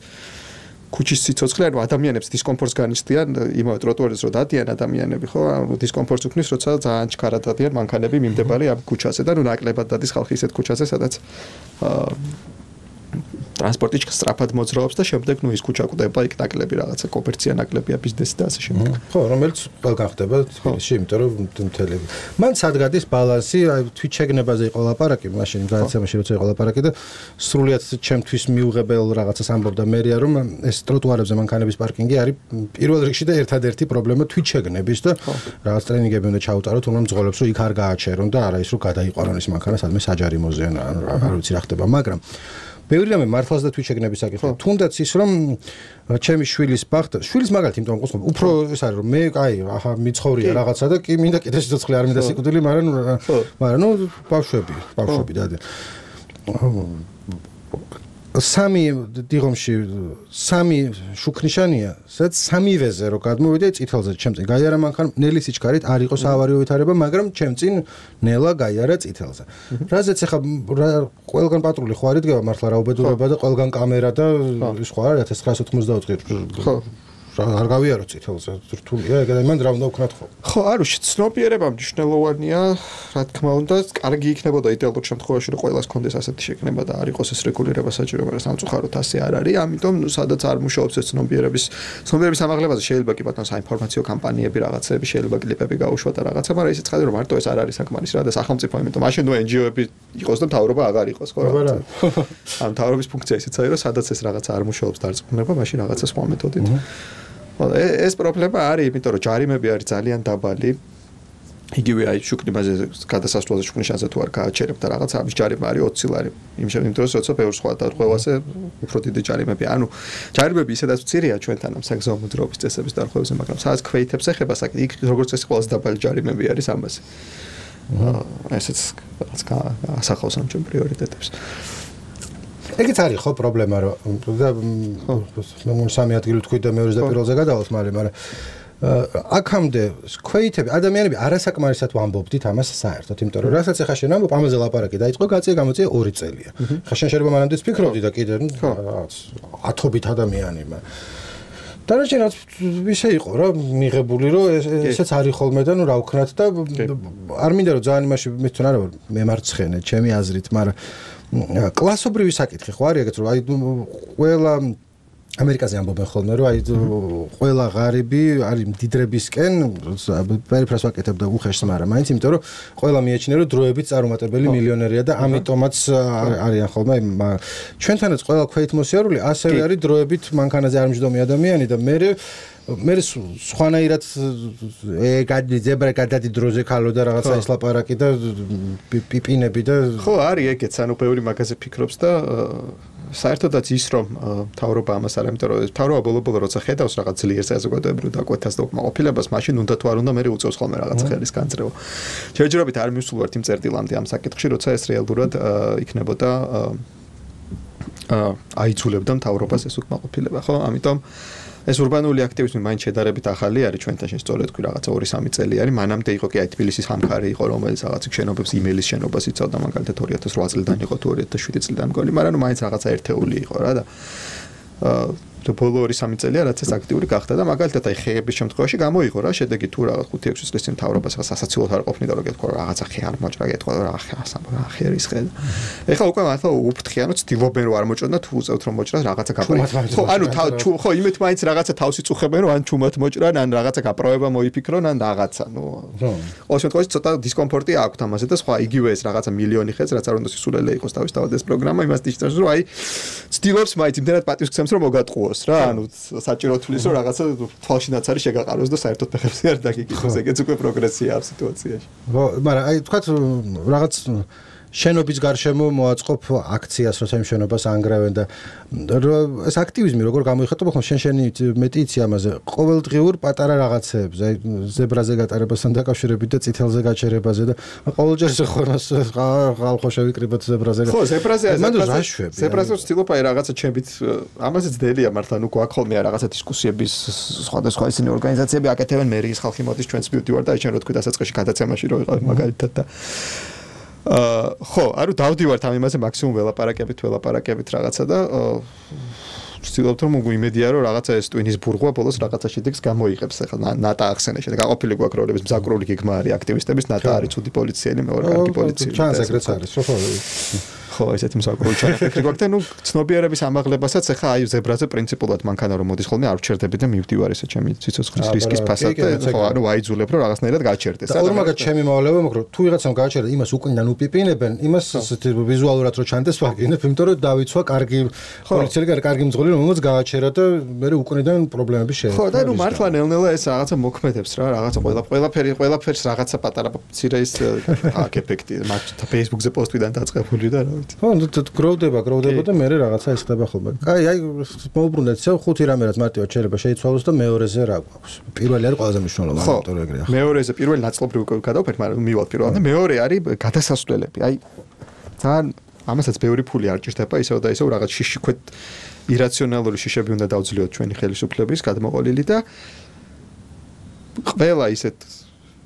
ქუჩის სიცოცხლე ანუ ადამიანებს დისკომფორტს განიცდიან, იმავე ტროტუარზე რო დადიან ადამიანები, ხო, ანუ დისკომფორტს უქმნის, როცა ძალიან ჩქარად დადიან მანქანები მიმდებარე ამ ქუჩაზე და ნუ ნაკლებად დადის ხალხი ისეთ ქუჩაზე, სადაც ტრანსპორტი სწრაფად მოძრაობს და შემდეგ ნუ ის ქუჩა კვდება, იქ ნაკლები რაღაცა კომერცია ნაკლებია ბიზნესი და ასე შემდეგ. ხო, რომელიც ყველგან ხდება თბილისში, იმიტომ რომ მთელი. მან სადგადის ბალანსი, აი თვითშეგნებაზე იყო ლაპარაკი, მაშინ გადაცემაში როცა იყო ლაპარაკი და სრულიად ჩემთვის მიუღებელ რაღაცას ამბობდა მერია, რომ ეს ტროტუარებზე მანქანების პარკინგი არის პირველ რიგში და ერთადერთი პრობლემა თვითშეგნების და რაღაც ტრენინგები უნდა ჩაუტაროთ, რომ მძღოლებს რომ იქ არ გააჩერონ და არა ის რომ გადაიყვანონ ის მანქანა სადმე საჯარიმოზე ან არ ვიცი რა ხდება, მაგრამ ბევრი რამე მართლაც და თვითშეგნების საკითხი. თუნდაც ის რომ ჩემი შვილის ბახტა, შვილის მაგალითი იმიტომ ყოსმობ, უფრო ეს არის რომ მე აი აჰა მიცხოვრია რაღაცა და კი მინდა კიდე სიცოცხლე არ მინდა სიკვდილი, მაგრამ მაგრამ ნუ ბავშვები, ბავშვები დადი. სამი დიღომში სამი შუქნიშანია, სადაც სამივეზე რო გადმოვიდე წითელზე ჩემ წინ გაიარა მანქანა, ნელი სიჩქარით არ იყო საავარიო ვითარება, მაგრამ ჩემ წინ ნელა გაიარა წითელზე. რაზეც ახლა ყველგან პატრული ხო არ იდგება მართლა რა უბედურება და ყველგან კამერა და ის ხო არის ათას ცხრაასი ოცდაოთხი. ხო. არ გავიარო წითელზე, რთულია, ეგ და მან რა უნდა ვქნათ ხო? ხო, არ ვიცი, ცნობიერება მნიშვნელოვანია, რა თქმა უნდა, კარგი იქნებოდა იდეალურ შემთხვევაში, რომ ყველას კონდეს ასეთი შეკნება და არ იყოს ეს რეგულირება საჭირო, მაგრამ სამწუხაროდ ასე არ არის, ამიტომ ნუ სადაც არ მუშაობს ეს ცნობიერების, ცნობიერების ამაღლებაზე შეიძლება კი ბატონო საინფორმაციო კამპანიები რაღაცები, შეიძლება კლიპები გაუშვა და რაღაცა, მაგრამ ისიც ხდება, რომ მარტო ეს არ არის საკმარისი რა და სახელმწიფო, იმიტომ მაშინ ნუ ენ ჯი ო-ები იყოს და მთავრობა აღარ იყოს, ხო რა. ამ მთავრობის ფუნქცია ისიც არის, რომ სადაც ეს რაღაცა არ მუშაობს დარწმუნება, მაშინ რაღაცა სხვა მეთოდით. ეს პრობლემა არის, იმიტომ რომ ჯარიმები არის ძალიან დაბალი. იგივე აი შუქნიბაზე გადასასვლელზე შუქნიშანზე თუ არ გააჩერებ და რაღაცა ამის ჯარიმა არის ოცი ლარი. იმ შემთხვევაში როცა ბევრ სხვა დარღვევაზე უფრო დიდი ჯარიმები. ანუ ჯარიმები ისედაც მცირეა ჩვენთან ამ საგზაო მოძრაობის წესების დარღვევაზე, მაგრამ სადაც ქვეითებს ეხება საკითხი, იქ როგორც წესი ყველაზე დაბალი ჯარიმები არის ამაზე. ესეც რაღაც ასახავს ამ ჩვენ პრიორიტეტებს. ეგეც არის ხო პრობლემა რომ და მე სამი ადგილი თქვი და მეორეზე და პირველზე გადავალთ მალე, მაგრამ აქამდე ქვეითები ადამიანები არასაკმარისად ვამბობდით ამას საერთოდ, იმიტომ რომ რასაც ახლა შენ ამბობ, ამაზე ლაპარაკი დაიწყო, გაწია გამოწია ორი წელია. ხა შენ შეიძლება მანამდე ფიქრობდი და კიდე რაღაც ათობით ადამიანი, მაგრამ დანარჩენად ისე იყო რა მიღებული რომ ესეც არის ხოლმე და ნუ რა ვქნათ და არ მინდა რომ ძალიან იმაში მეთქონ არა მემარცხენე ჩემი აზრით, მაგრამ კლასობრივი საკითხი ხო არის ეგეთ რომ აი ყველა ამერიკაზე ამბობენ ხოლმე რომ აი ყველა ღარიბი არის მდიდრებისკენ პერიფერას ვაკეთებ და უხეშს, მაგრამ მაინც იმიტომ რომ ყველა მიეჩნია რომ დროებით წარუმატებელი მილიონერია და ამიტომაც არიან ხოლმე ჩვენთანაც ყველა ქვეითმოსიარული ასევე არის დროებით მანქანაზე არ მჯდომი ადამიანი და მე მე სხვანაირად გადი ზებრა გადადი დროზე ქალო და რაღაცა ის ლაპარაკი და პიპინები და ხო არის ეგეც, ანუ ბევრი მაგაზე ფიქრობს და საერთოდაც ის რომ მთავრობა ამას არ ამიტომ რომ მთავრობა ბოლო-ბოლო როცა ხედავს რაღაც ძლიერ საზოგადოებრივ დაკვეთას და უკმაყოფილებას, მაშინ უნდა თუ არ უნდა მე უწევს ხოლმე რაღაცა ხელის განწრება. ჯერჯერობით არ მივსულვართ იმ წერტილამდე ამ საკითხში, როცა ეს რეალურად იქნებოდა აიძულებდა მთავრობას ეს უკმაყოფილება, ხო? ამიტომ ეს ურბანული აქტივიზმი მაინც შედარებით ახალი არის ჩვენთან, სწორედ თქვი რაღაცა ორი სამი წელი არის. მანამდე იყო კი აი თბილისის ამქარი იყო, რომელიც რაღაც შენობებს იმეილის შენობას იცავდა, მაგალითად ორი ათას ოთხ წლიდან იყო თუ ორი ათას შვიდი წლიდან მგონი, მაგრამ ნუ მაინც რაღაცა ერთეული იყო რა და და ბოლო ორი სამი წელია რაც ეს აქტიური გახდა და მაგალითად აი ხეების შემთხვევაში გამოიღო რა შედეგი თუ რაღაც ხუთი ექვსი წლის წინ მთავრობას ახლა სასაცილოდ არ ყოფნიდა რომ გეთქვა რაღაცა ხე არ მოჭრა გეთქვა რა ხე არის ხე ეხლა უკვე მართლა უფრთხიანო ცდილობენ რომ არ მოჭრა და თუ უწევთ რომ მოჭრას რაღაცა გაპროება ხო ანუ ხო იმით მაინც რაღაცა თავს იწუხებენ რომ ან ჩუმად მოჭრან ან რაღაცა გაპროება მოიფიქრონ ან რაღაცა ნუ ყოველ შემთხვევაში ცოტა დისკომფორტი აქვს ამაზე და სხვა იგივე ეს რაღაცა მილიონი ხეც რაც არ უნდა სისულელე იყოს თავისთავად ეს პროგრამა იმას ნიშნავს რომ აი ცდილობს მაინც იმდენად პატივს გცემს რომ მოგატყუოს რა ანუ საჭირო თulis რომ რაღაცა თვალშინაც არის შეგაყაროს და საერთოდ ფეხებზე არ დაგიკითხოს ეგეც უკვე პროგრესია ამ სიტუაციაში ხო მაგრამ აი თქვათ რაღაც შენობის გარშემო მოაწყობ აქციას, როცა იმ შენობას ანგრევენ და ეს აქტივიზმი როგორ გამოიხატება, ხო შენ შენი მეტი იცი ამაზე. ყოველდღიურ პატარა რაღაცეებს, აი ზებრაზე გატარებასთან დაკავშირებით და წითელზე გაჩერებაზე და ყოველჯერ ხორმას ხალხო შევიკრიბოთ ზებრაზე. ხო, ზებრაზე ზებრაზე ზებრაზე ვცდილობ აი რაღაცა ჩემით ამაზე ძნელია მართლა, ნუ გვაქვს ხოლმე რაღაცა დისკუსიების სხვადასხვა ისინი ორგანიზაციები აკეთებენ, მერიის ხალხი მოდის ჩვენს მივდივარ და აი შენ რო თქვი დასაწყისში გადაცემაში რო ვიყავ მაგალითად და აა ხო, არო დავდივართ ამ იმაზე მაქსიმუმ ველაპარაკებით, ველაპარაკებით რაღაცა და ვცდილობთ რომ იმედია რომ რაღაცა ეს ტვინის ბურღვა ბოლოს რაღაცა შედეგს გამოიღებს. ახლა ნატა ახსენე შედეგ გაყოფილი გვაქვს როლების მზაკრული გეგმა არის აქტივისტების, ნატა არის ცუდი პოლიციელი, მეორე კარგი პოლიციელი. ჩანს ეგრეც არის, ხო? ხო, ესეთი მსაკრული ჩანაფიქრი გვაქვს და ნუ ცნობიერების ამაღლებასაც ახლა აი ზებრაზე პრინციპულად მანქანა რომ მოდის ხოლმე არ ვჩერდები და მივდივარ ესე ჩემი ციცოცხლის რისკის ფასად და ხო ანუ აიძულებ რომ რაღაცნაირად გაჩერდეს. და ორმაგად ჩემი მოვლებო მოკრო თუ ვიღაცამ გააჩერდა იმას უკუნიდან უპიპინებენ, იმას ვიზუალურად რო ჩანდეს ვაგინებ, იმიტომ რომ დავიცვა კარგი პოლიციელი, კარგი მძღოლი რომელსაც გააჩერა და მე უკუნიდან პრობლემები შეექმნა. ხო და ნუ მართლა ნელ-ნელა ეს რაღაცა მოქმედებს რა, რაღაცა ყველა ყველაფერი ყველაფერს რაღაცა პატარა მცირე ის აქ ეფექტი მაგ Facebook-ზე პოსტვიდან დაწყებული და რა ხო, გროვდება, გროვდება და მე რაღაცა ეს ხდება ხოლმე. კაი, აი მოუბრუნდეთ ისე ხუთი რამერაც მარტივად შეიძლება შეიცვალოს და მეორეზე რა გვაქვს. პირველი არის ყველაზე მნიშვნელოვანი, ამიტომ ეგრეა. მეორეზე პირველი ნაწილობრივ გადავფერთ, მაგრამ მივალ პირველად და მეორე არის გადასასვლელები. აი ძალიან ამასაც ბევრი ფული არ ჭირდება, ისევ და ისევ რაღაც შიშიქვეთ ირაციონალური შიშები უნდა დავძლიოთ ჩვენი ხელისუფლების გადმოყოლილი და ყველა ისეთ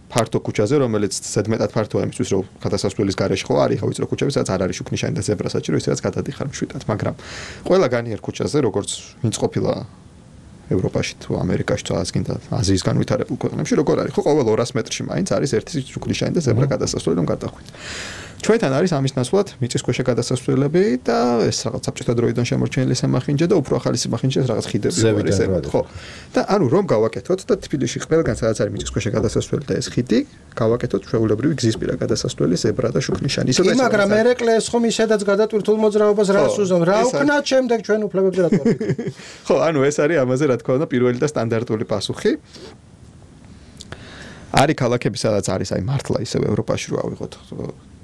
ფართო ქუჩაზე, რომელიც ზედმეტად ფართოა იმისთვის, რომ გადასასვლელის გარეშე ხო არის, ხო ვიცი რომ ქუჩები სადაც არ არის შუქნიშანი და ზებრა საჭირო, ისედაც გადადიხარ მშვიდად, მაგრამ ყველა განიერ ქუჩაზე, როგორც ვინც ყოფილა ევროპაში თუ ამერიკაში თუ ასკინ და აზიის განვითარებულ ქვეყნებში, როგორ არის, ხო ყოველ ორას მეტრში მაინც არის ერთი შუქნიშანი და ზებრა გადასასვლელი, რომ გადახვიდეთ. ჩვენთან არის ამის ნაცვლად მიწისქვეშა გადასასვლელები და ეს რაღაც საბჭოთა დროიდან შემორჩენილი სამახინჯე და უფრო ახალი სამახინჯე რაღაც ხიდები არის ემოთ, ხო. და ანუ რომ გავაკეთოთ და თბილისში ყველგან სადაც არის მიწისქვეშა გადასასვლელი და ეს ხიდი, გავაკეთოთ ჩვეულებრივი გზისპირა გადასასვლელი, ზებრა და შუქნიშანი. ისე და მაგრამ ერეკლეს ხომ ისედაც გადატვირთულ მოძრაობას რას უზომ, რა უკნათ შემდეგ ჩვენ უფლებებზე რა თქმა უნდა. ხო, ანუ ეს არის ამაზე რა თქმა უნდა პირველი და სტანდარტული პასუხი. არის ქალაქები სადაც არის აი მართლა ისევ ევროპაში რო ავიღოთ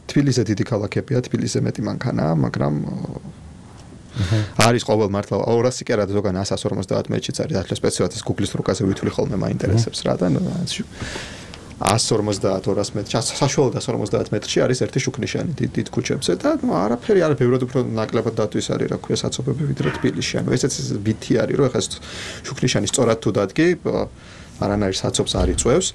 თბილისზე დიდი ქალაქებია, თბილისზე მეტი მანქანაა, მაგრამ არის ყოველ მართლა ორასი კი არა ზოგან ასას ორმოცდაათ მეტრშიც არის, ახლა სპეციალურად ეს Google-ის რუკაზე ვითვლი ხოლმე მაინტერესებს რა და ასას ორმოცდაათ ორას მეტრში, საშუალოდ ასას ორმოცდაათ მეტრში არის ერთი შუქნიშანი დიდ დიდ ქუჩებზე და ნუ არაფერი არა ბევრად უფრო ნაკლებად დატვის არის რა ქვია საცობები ვიდრე თბილისში. ანუ ესეც ვითი არის რომ ეხლა შუქნიშანი სწორად თუ დადგი არანაირ საცობს არ იწვევს.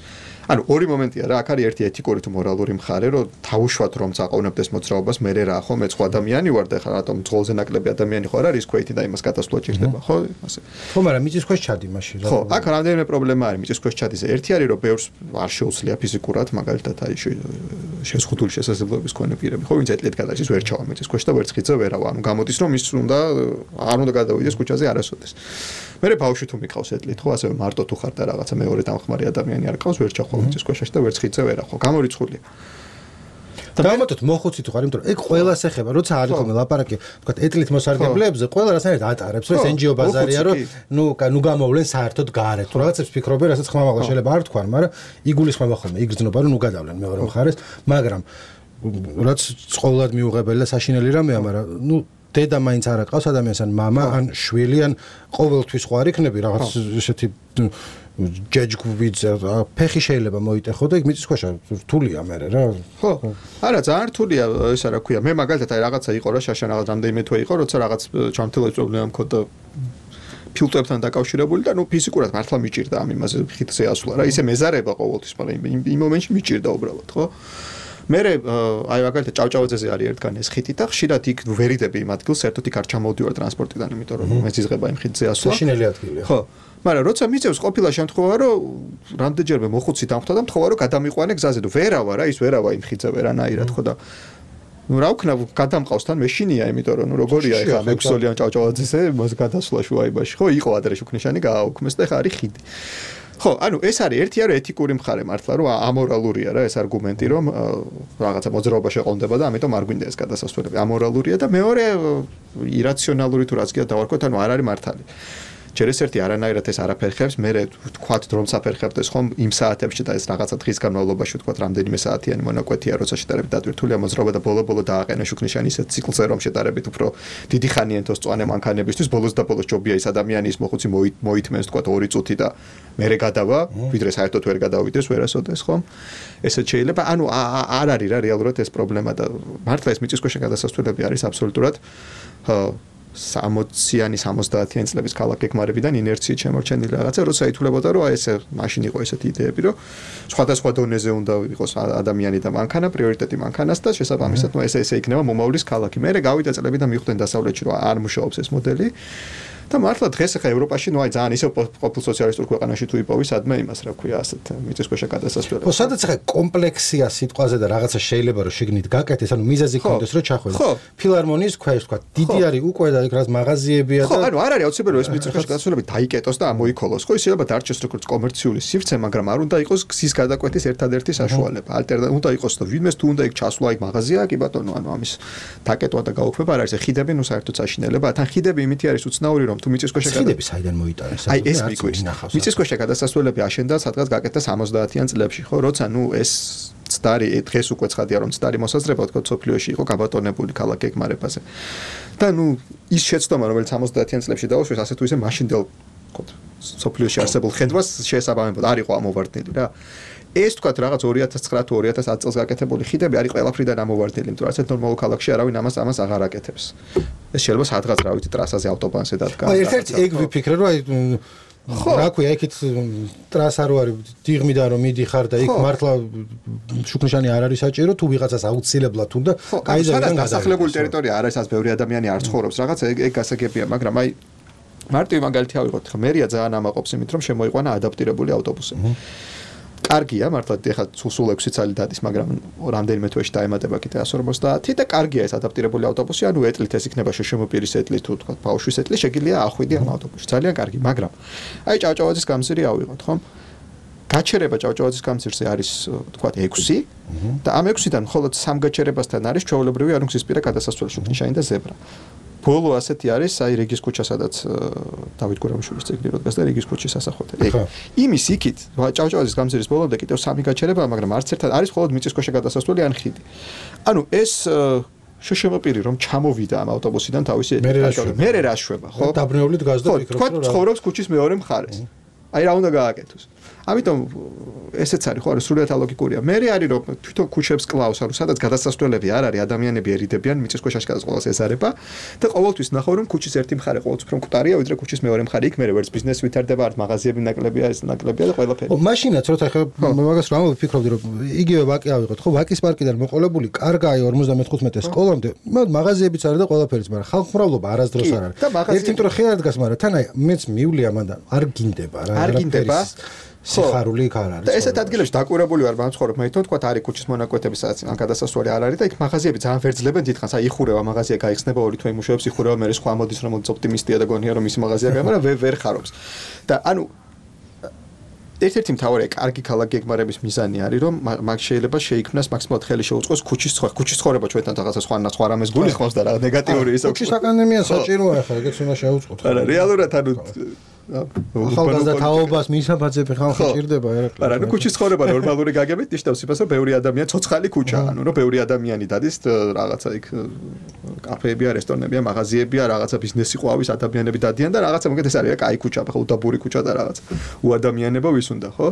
ანუ ორი მომენტია რა, აქ არის ერთი ეთიკური თუ მორალური მხარე, რომ თავუშვათ რომ წაყოვნებდეს მოძრაობას, მე რა ხო მე სხვა ადამიანი ვარ და ხა რატომ ძღოლზე ნაკლები ადამიანი ხო არ არის ქვეითი და იმას გადასვლა ჭირდება, ხო? ასე. ხო, მაგრამ მიწის ქვეშ ჩადი მაშინ რა. ხო, აქ რამდენიმე პრობლემა არის მიწის ქვეშ ჩადის. ერთი არის რომ ბევრს არ შეუძლია ფიზიკურად, მაგალითად აი შეზღუდული შესაძლებლობების მქონე პირები, ხო, ვინც ეტლით გადადის ვერ ჩავა მიწის ქვეშ და ვერც ხიძა ვერავა. ანუ გამოდის რომ ის უნდა არ უნდა გადავიდეს ქუჩაზე არასოდეს. მე ბავშვი თუ მიყავს ეტლით, ხო, ასე მარტო თუ ხარ და რაღაცა მეორე დამხმარე ადამიანი არ ყავს, ვერ ჩახვალ მიწის ქვეშ და ვერც ხიძა ვერახო. გამორიცხულია. დავამატოთ მოხუცი თუ ხარ, იმიტომ რომ ეგ ყველას ეხება, როცა არის ხოლმე ლაპარაკი, თქვა ეტლით მოსარგებლეებზე, ყველა რასაერთოდ ატარებს, რომ ეს εν ჯი ო ბაზარია, რომ ნუ ნუ გამოვლენ საერთოდ გარეთ. თუ რაღაცებს ფიქრობენ, რასაც ხმამაღლა შეიძლება არ თქვან, მაგრამ იგულისხმება ხოლმე, იგრძნობა, რომ ნუ გადავლენ მეორე მხარეს, მაგრამ რაც ყოველად მიუღებელი და საშინელი რამეა, მაგრამ ნუ დედა მაინც არ აკავს ადამიანს ან მამა ან შვილი ან ყოველთვის ხო არ იქნები რაღაც ესეთი ჯეჯგუბიძე ფეხი შეიძლება მოიტეხო და იქ მიწის ქვეშ რთულია მე რა ხო არა ძალიან რთულია ესა რა ქვია მე მაგალითად აი რაღაცა იყო რა შაშან რაღაც რამდენიმე თვე იყო როცა რაღაც ჩამთელოს პრობლემა მქონდა ფილტრებთან დაკავშირებული და ნუ ფიზიკურად მართლა მიჭირდა ამ იმაზე ხიდზე ასვლა რა ისე მეზარება ყოველთვის მაგრამ იმ მომენტში მიჭირდა უბრალოდ ხო მე აი მაგალითად ჭავჭავაძეზე არის ერთგან ეს ხიდი და ხშირად იქ ვერიდები იმ ადგილს საერთოდ იქ არ ჩამოვდივარ ტრანსპორტიდან იმიტომ რომ მეძიზღება იმ ხიდზე ასვლა საშინელი ადგილია ხო მაგრამ როცა მიწევს ყოფილა შემთხვევა რომ რამდენჯერმე მოხუცი დამხვდა და მთხოვა რომ გადამიყვანე გზაზე და ვერავა რა ის ვერავა იმ ხიდზე ვერანაირად ხო და ну რა ვქნა გადამყავს თან მეშინია იმიტომ რომ ნუ როგორია ეხლა მექსოლიან ჭავჭავაძეზე მას გადასვლა შუაიბაში ხო იყო ადრე შუქნიშანი გააუქმეს და ეხლა არის ხიდი ხო, ანუ ეს არის ერთი არის ეთიკური მხარე მართლა, რომ ამორალურია რა ეს არგუმენტი, რომ რაღაცა მოძრაობა შეყონდება და ამიტომ არ გვინდა ეს გადასასვლელები. ამორალურია და მეორე ირაციონალური თუ რაც კი დავარქვათ, ანუ არ არის მართალი. ჯერ ეს ერთი არანაირად ეს არაფერი ხებს, მე ვთქვათ დრომს აფერხებდეს ხომ იმ საათებში და ეს რაღაცა დღის განმავლობაში ვთქვათ რამდენიმე საათიანი მონაკვეთია, როცა შედარებით დატვირთულია მოძრაობა და ბოლო-ბოლო დააყენა შუქნიშანი ისეთ ციკლზე, რომ შედარებით უფრო დიდი ხანი ენთოს წვანე მანქანებისთვის ბოლოს და ბოლოს ჯობია ის ადამიანის მოხუცი მოითმენს ვთქვათ ორი წუთი და მერე გადავა, ვიდრე საერთოდ ვერ გადავიდეს ვერასოდეს ხომ? ესეც შეიძლება, ანუ არ არის რა რეალურად ეს პრობლემა და მართლა ეს მიწისქვეშა გადასასვლელები არის აბსოლუტურად სამოციანი სამოცდაათიანი წლების ქალაქ-გეგმარებიდან ინერციით შემორჩენილი რაღაცა, როცა ითვლებოდა რომ აი ესე მაშინ იყო ესეთი იდეები, რომ სხვადასხვა დონეზე უნდა იყოს ადამიანი და მანქანა, პრიორიტეტი მანქანას და შესაბამისად ნუ ესე ესე იქნება მომავლის ქალაქი. მერე გავიდა წლები და მიხვდნენ დასავლეთში რომ არ მუშაობს ეს მოდელი. და მართლა დღეს ახლა ევროპაში ნუ აი ძალიან ისე ყოფილ სოციალისტურ ქვეყანაში თუ იპოვი სადმე იმას რა ქვია ასეთ მიწისქვეშა გადასასვლელებს. ხო, სადაც ახლა კომპლექსია სიტყვაზე და რაღაცა შეიძლება რომ შეგნით გაკეთდეს, ანუ მიზეზი კონდეს რომ ჩახვედეს. ფილარმონიის ქვეშ თქვა, დიდი არის უკვე და იქ რაც მაღაზიებია და ხო, ანუ არ არის აუცილებელი რომ ეს მიწისქვეშა გადასასვლელები დაიკეტოს და ამოიქოლოს. ხო, შეიძლება დარჩეს როგორც კომერციული სივრცე, მაგრამ არ უნდა იყოს გზის გადაკვეთის ერთადერთი საშუალება. ალტერნატივა უნდა იყოს და ვინმეს თუ უნდა იქ ჩასვლა, იქ მაღაზია, კი ბატონო, ანუ ამის დაკეტვა და გაუქმება არ არის. ხიდები ნუ საერთოდ საშინელება, თან ხიდები იმითი არის უცნაური რომ თუ მიწისქვეშა ხიდები საიდან მოიტანეს? აი ეს მიგვიყვეს. მიწისქვეშა გადასასვლელები აშენდა სადღაც გაკეთდა სამოცდაათიან წლებში, ხო, როცა ნუ ეს ცდარი დღეს უკვე ცხადია რომ ცდარი მოსაზრება თქო სოფლიოში იყო გაბატონებული ქალაქ-გეგმარებაზე. და ნუ ის შეცდომა რომელიც სამოცდაათიან წლებში დაუშვეს, ასე თუ ისე მაშინდელ თქო სოფლიოში არსებულ ხედვას შეესაბამებოდა, არ იყო ამოვარდნილი რა. ეს თქვათ რაღაც ორი ათას ცხრა თუ ორი ათას ათი წელს გაკეთებული ხიდები არის ყველაფრიდან ამოვარდნილი, იმიტომ რომ ასეთ ნორმალურ ქალაქში არავინ ამას ამას აღარ აკეთებს. ეს შეიძლება სადღაც რა ვიცი ტრასაზე ავტობანზე დადგა. აი ერთ-ერთი ეგ ვიფიქრე რომ აი რა ქვია იქით ტრასა რო არის დიღმიდან რომ მიდიხარ და იქ მართლა შუქნიშანი არ არის საჭირო თუ ვიღაცას აუცილებლად უნდა კაიზერიდან დასახლებული ტერიტორია არ არის ას ბევრი ადამიანი არ ცხოვრობს რაღაც ეგ ეგ გასაგებია, მაგრამ აი მარტივი მაგალითი ავიღოთ ხა მერია ძალიან ამაყობს იმით რომ შემოიყვანა ადაპტირებული ავტობუსები. კარგია, მართლა ეხლა სულ ექვსი წელი დადის, მაგრამ რამდენიმე თვეში დაემატება კიდე εκατო ორმოცდაათი და კარგია ეს ადაპტირებული ავტობუსი, ანუ ეტლით ეს იქნება შეშმოპირის ეტლი თუ თქვა ბავშვის ეტლი, შეგიძლია ახვიდი ამ ავტობუსში. ძალიან კარგი, მაგრამ აი ჭავჭავაძის გამზირი ავიღოთ, ხომ? გაჩერება ჭავჭავაძის გამზირზე არის თქვა ექვსი და ამ ექვსიდან მხოლოდ სამ გაჩერებასთან არის ჩვეულებრივი ანუ გზისპირა გადასასვლელი შუქნიშანი და ზებრა. ბოლო ასეთი არის აი რეგის ქუჩა, სადაც დავით გურამიშვილის ძეგლი რო დგას და რეგის ქუჩის სასახლე. ეგ იმის იქით ჭავჭავაძის გამზირის ბოლომდე კიდევ სამი გაჩერებაა, მაგრამ არც ერთად არის მხოლოდ მიწისქვეშა გადასასვლელი ან ხიდი. ანუ ეს შეშმოპირი რომ ჩამოვიდა ამ ავტობუსიდან თავისი მერე რა შვება, ხო? დაბნეულით გაზ და ფიქრობს რომ რა. ხო, ცხოვრობს ქუჩის მეორე მხარეს. აი რა უნდა გააკეთოს. ამიტომ ესეც არის ხო, სრულიად ალოგიკურია. მე არის რომ თვითონ ქუჩებს კლავს, ანუ სადაც გადასასვლელები არ არის, ადამიანები ერიდებიან, მიწისქვეშა გადასასვლელს ეზარება და ყოველთვის ნახავ რომ ქუჩის ერთი მხარე ყოველთვის უფრო მკვდარია, ვიდრე ქუჩის მეორე მხარე. იქ მე ვერც ბიზნესი ვითარდება, არც მაღაზიები ნაკლებია, ეს ნაკლებია და ყველაფერი. ო, მაშინაც როცა ხა მაგას რა ვფიქრობდი რომ იგივე ვაკი ავიღოთ, ხო, ვაკის პარკიდან მოყოლებული, კარგაა ორმოცდამეთხუთმეტე სკოლამდე, მაღაზიებიც არის და ყველაფერიც, მაგრამ ხალხმრავლობა არასდროს არ არის. ერთი იმიტომ რომ ხე არ დგას, მაგრამ თან აი მეც მივლია მანდ არ გინდება რა. არ გინდება სიხარული იქ არ არის. და ესეთ ადგილებში დაკვირებული ვარ მაცხოვრებ, მე თვითონ თქვა არის ქუჩის მონაკვეთები, სადაც ან გადასასვლელი არ არის და იქ მაღაზიები ძალიან ვერძლებენ დიდხანს, აი იხურება მაღაზია გაიხსნება ორი თვე იმუშავებს, იხურება მე სხვა მოდის რომელიც ოპტიმისტია და გონია რომ მისი მაღაზია გამა, მაგრამ ვერ ხარობს. და ანუ ერთ-ერთი მთავარი კარგი ქალაქ-გეგმარების მიზანი არის რომ მაგ შეიძლება შეიქმნას მაქსიმალურად ხელი შეუწყოს ქუჩის ცხოვრება. ქუჩის ცხოვრება ჩვენთან რაღაცა სხვა სხვა რამეს გულისხმობს და რაღაც ნეგატიური ისო. ქუჩის აკადემია საჭიროა ახლა, ეგეც უნდა შეუწყოთ. არა, რეალურად ანუ ახალგაზრდა თაობას მისაბაძები ხალხი ჭირდება ერაკლი. არა, ნუ ქუჩის ცხოვრება ნორმალური გაგებით ნიშნავს იმას, რომ ბევრი ადამიანი ცოცხალი ქუჩა, ანუ რომ ბევრი ადამიანი დადის რაღაცა იქ კაფეებია, რესტორნებია, მაღაზიებია, რაღაცა ბიზნესი ყვავის ადამიანები დადიან და რაღაცა მოგეთ ეს არის რა კაი ქუჩა, ხო, უდაბური ქუჩა და რაღაც უადამიანება ვის უნდა, ხო?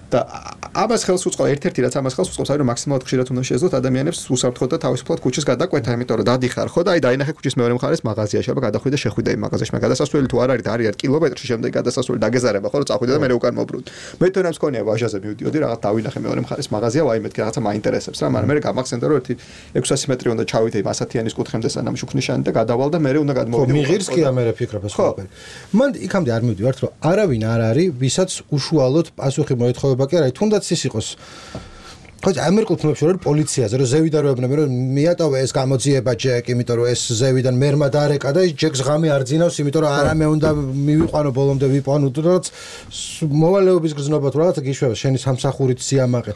და ამას ხელს უწყობს ერთ-ერთი რაც ამას ხელს უწყობს არის რომ მაქსიმალურად ხშირად უნდა შეეძლოთ ადამიანებს უსაფრთხოდ და თავისუფლად ქუჩის გადაკვეთა, იმიტომ რომ დადიხარ ხო და აი დაინახე ქუჩის მეორე მხარეს მაღაზია, შეიძლება გადახვიდე და შეხვიდე იმ მაღაზიაში, მაგრამ გადასასვლელი თუ არ არის და არის კილომეტრში შემდეგ გადასასვლელი დაგეზარება ხო, რომ წახვიდე და მე უკან მობრუნდი. მე თვითონაც მქონია ვაჟაზე მივდიოდი, რაღაც დავინახე მეორე მხარეს მაღაზია, ვაი მეთქი რაღაცა მაინტერესებს რა, მაგრამ მე გამახსენდა რომ ერთი ექვსასი მეტრი უნდა ჩავიდე იმ ასათიანის კუთხემდე სანამ შუქნიშანი და გადავალ და მე უნდა გადმოვიდე. ხო, მიღირს კი ამერე ფიქრობ ეს ყველაფერი. მან იქამდე არ მივდივართ რომ არავინ არ არის, ვისაც უშუალოდ პასუხი მოეთხოვება კი არა, თუნდაც ის იყოს ხო ამერიკულ ფილმებში რომ პოლიციაზე რომ ზევიდან რო ებნები რომ მიატოვე ეს გამოძიება ჯეკ, იმიტომ რომ ეს ზევიდან მერმა დაარეკა და ის ჯეკს ღამე არ ძინავს, იმიტომ რომ არამე უნდა მივიყვანო ბოლომდე ვიყვანო, რაც მოვალეობის გრძნობა თუ რაღაცა გიშვება შენი სამსახურით სიამაყე.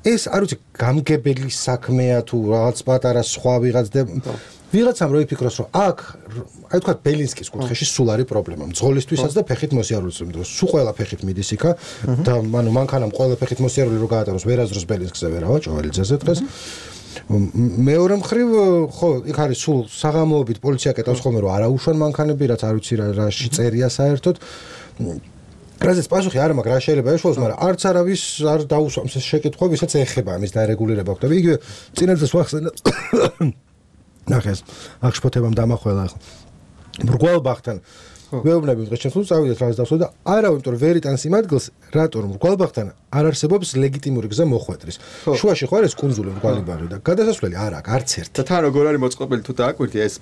ეს არ ვიცი გამგებელი საქმეა თუ რაღაც პატარა სხვა ვიღაც და ვიღაცამ რო იფიქროს რომ აქ აი თქვა ბელინსკის კუთხეში სულ არის პრობლემა მძღოლისთვისაც და ფეხით მოსიარულის დროს სულ ყველა ფეხით მიდის იქა და ანუ მანქანამ ყველა ფეხით მოსიარული რო გაატაროს ვერაზროს ბელინსკზე ვერავა ჭოველიძეზე დღეს მეორე მხრივ ხო იქ არის სულ საღამოობით პოლიცია კეტავს ხოლმე რომ არაუშვან მანქანები რაც არ ვიცი რაში წერია საერთოდ რაზეც პასუხი არ მაქვს რა შეიძლება ეშველოს მაგრამ არც არავის არ დაუსვამს ეს შეკითხვა ვისაც ეხება ამის დარეგულირება ხდება იგივე წინასწარ ვახსენე ნახეს აქ შფოთებამ დამახველა ახლა მრგვალბახთან ვეუბნები დღეს შეძლო წავიდეთ რაღაც დავსვათ და არავინ იმიტომ ვერ იტანს იმ ადგილს რატომ მრგვალბახთან არ არსებობს ლეგიტიმური გზა მოხვედრის შუაში ხო არის კუნძული მრგვალიბაღი და გადასასვლელი არ აქვს არც ერთი და თან როგორ არის მოწყობილი თუ დააკვირდი ეს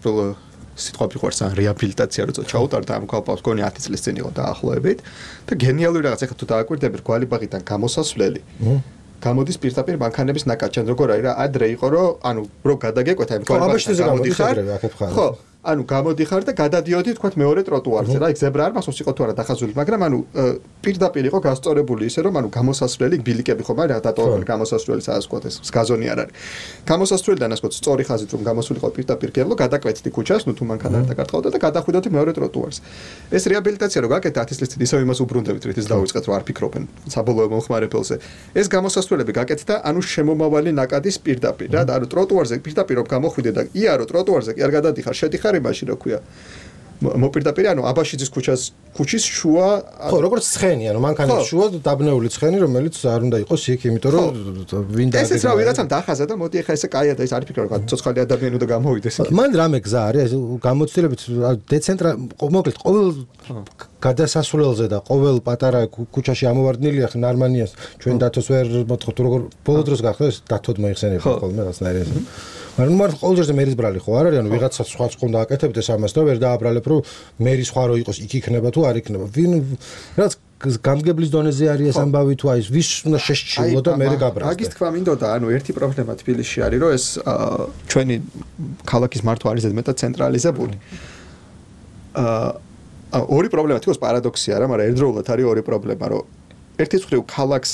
სიტყვა ფიყვარს ან რეაბილიტაცია რო ჩაუტარდა ამ კვალპავს გონი ათი წლის წინ იყო დაახლოებით და გენიალური რაღაც ახლა თუ დააკვირდები რგვალიბაღიდან გამოსასვლელი გამოდის პირდაპირ მანქანების ნაკადში როგორ არის რა ადრე იყო რომ ანუ რო გადაგეკვეთა იმ რგვალიბაღში გამოდიხარ ხო ანუ გამოდიხარ და გადადიოდი თქვა მეორე ტროტუარზე რა იქ ზებრა არ მახსოვს იყო თუ არა დახაზული მაგრამ ანუ პირდაპირ იყო გასწორებული ისე რომ ანუ გამოსასვლელი ბილიკები ხომ არა დატოვებული გამოსასვლელი სადაც თქვა ეს გაზონი არ არის გამოსასვლელიდან ასე თქვა სწორი ხაზით რომ გამოსულიყო პირდაპირ გევლო გადაკვეთდი ქუჩას ნუ თუ მანქანა არ დაკართხავდა და გადახვიდოდი მეორე ტროტუარზე ეს რეაბილიტაცია რო გაკეთდა ათი წლის წინ ისევ იმას უბრუნდებით რითიც დავიწყეთ რომ არ ფიქრობენ საბოლოო მომხმარებელზე ეს გამოსასვლელები გაკეთდა ანუ შემომავალი ნაკადის პირდაპირ რა და ანუ ტროტუარზე პირდაპირ რომ გამოხვიდე და იარო ტროტუარზე კი არ გადადიხარ შედიხარ იმაში რა ქვია მოპირდაპირ ანუ აბაშიძის ქუჩას ქუჩის შუა ხო როგორც ცხენი ანუ მანქანის შუა დაბნეული ცხენი რომელიც არ უნდა იყოს იქ იმიტომ რომ ვინ და ესეც რა ვიღაცამ დახაზა და მოდი ახლა ესე კაია და ეს არ ფიქრობ რა ცოცხალი ადამიანი უნდა გამოვიდეს მან რამე გზა არის გამოცდილებით დეცენტრა მოკლედ ყოველ გადასასვლელზე და ყოველ პატარა ქუჩაში ამოვარდნილია ხ ნარმანიას ჩვენ დათოს ვერ მოთხოვთ როგორ ბოლო დროს გახდა ეს დათოდ მოიხსენებდა ხოლმე რაღაცნაირი ეს მაგრამ მარტო ყოველ ჯერზე მერის ბრალი ხო არ არის ანუ ვიღაცა სხვა ხომ დააკეთებდეს ამას და ვერ დააბრალებ რომ მერის სხვა რო იყოს იქ იქნება თუ არ იქნება ვინ რაც გამგებლის დონეზე არის ეს ამბავი თუ აი ვის უნდა შეშჩილო და მე გაბრალოს აგის თქვა მინდოდა ანუ ერთი პრობლემა თბილისში არის რომ ეს ჩვენი ქალაქის მართვა არის ზედმეტად ცენტრალიზებული აა ორი პრობლემა თქოს პარადოქსია რა მაგრამ ერთდროულად არის ორი პრობლემა რომ ერთი მხრივ ქალაქს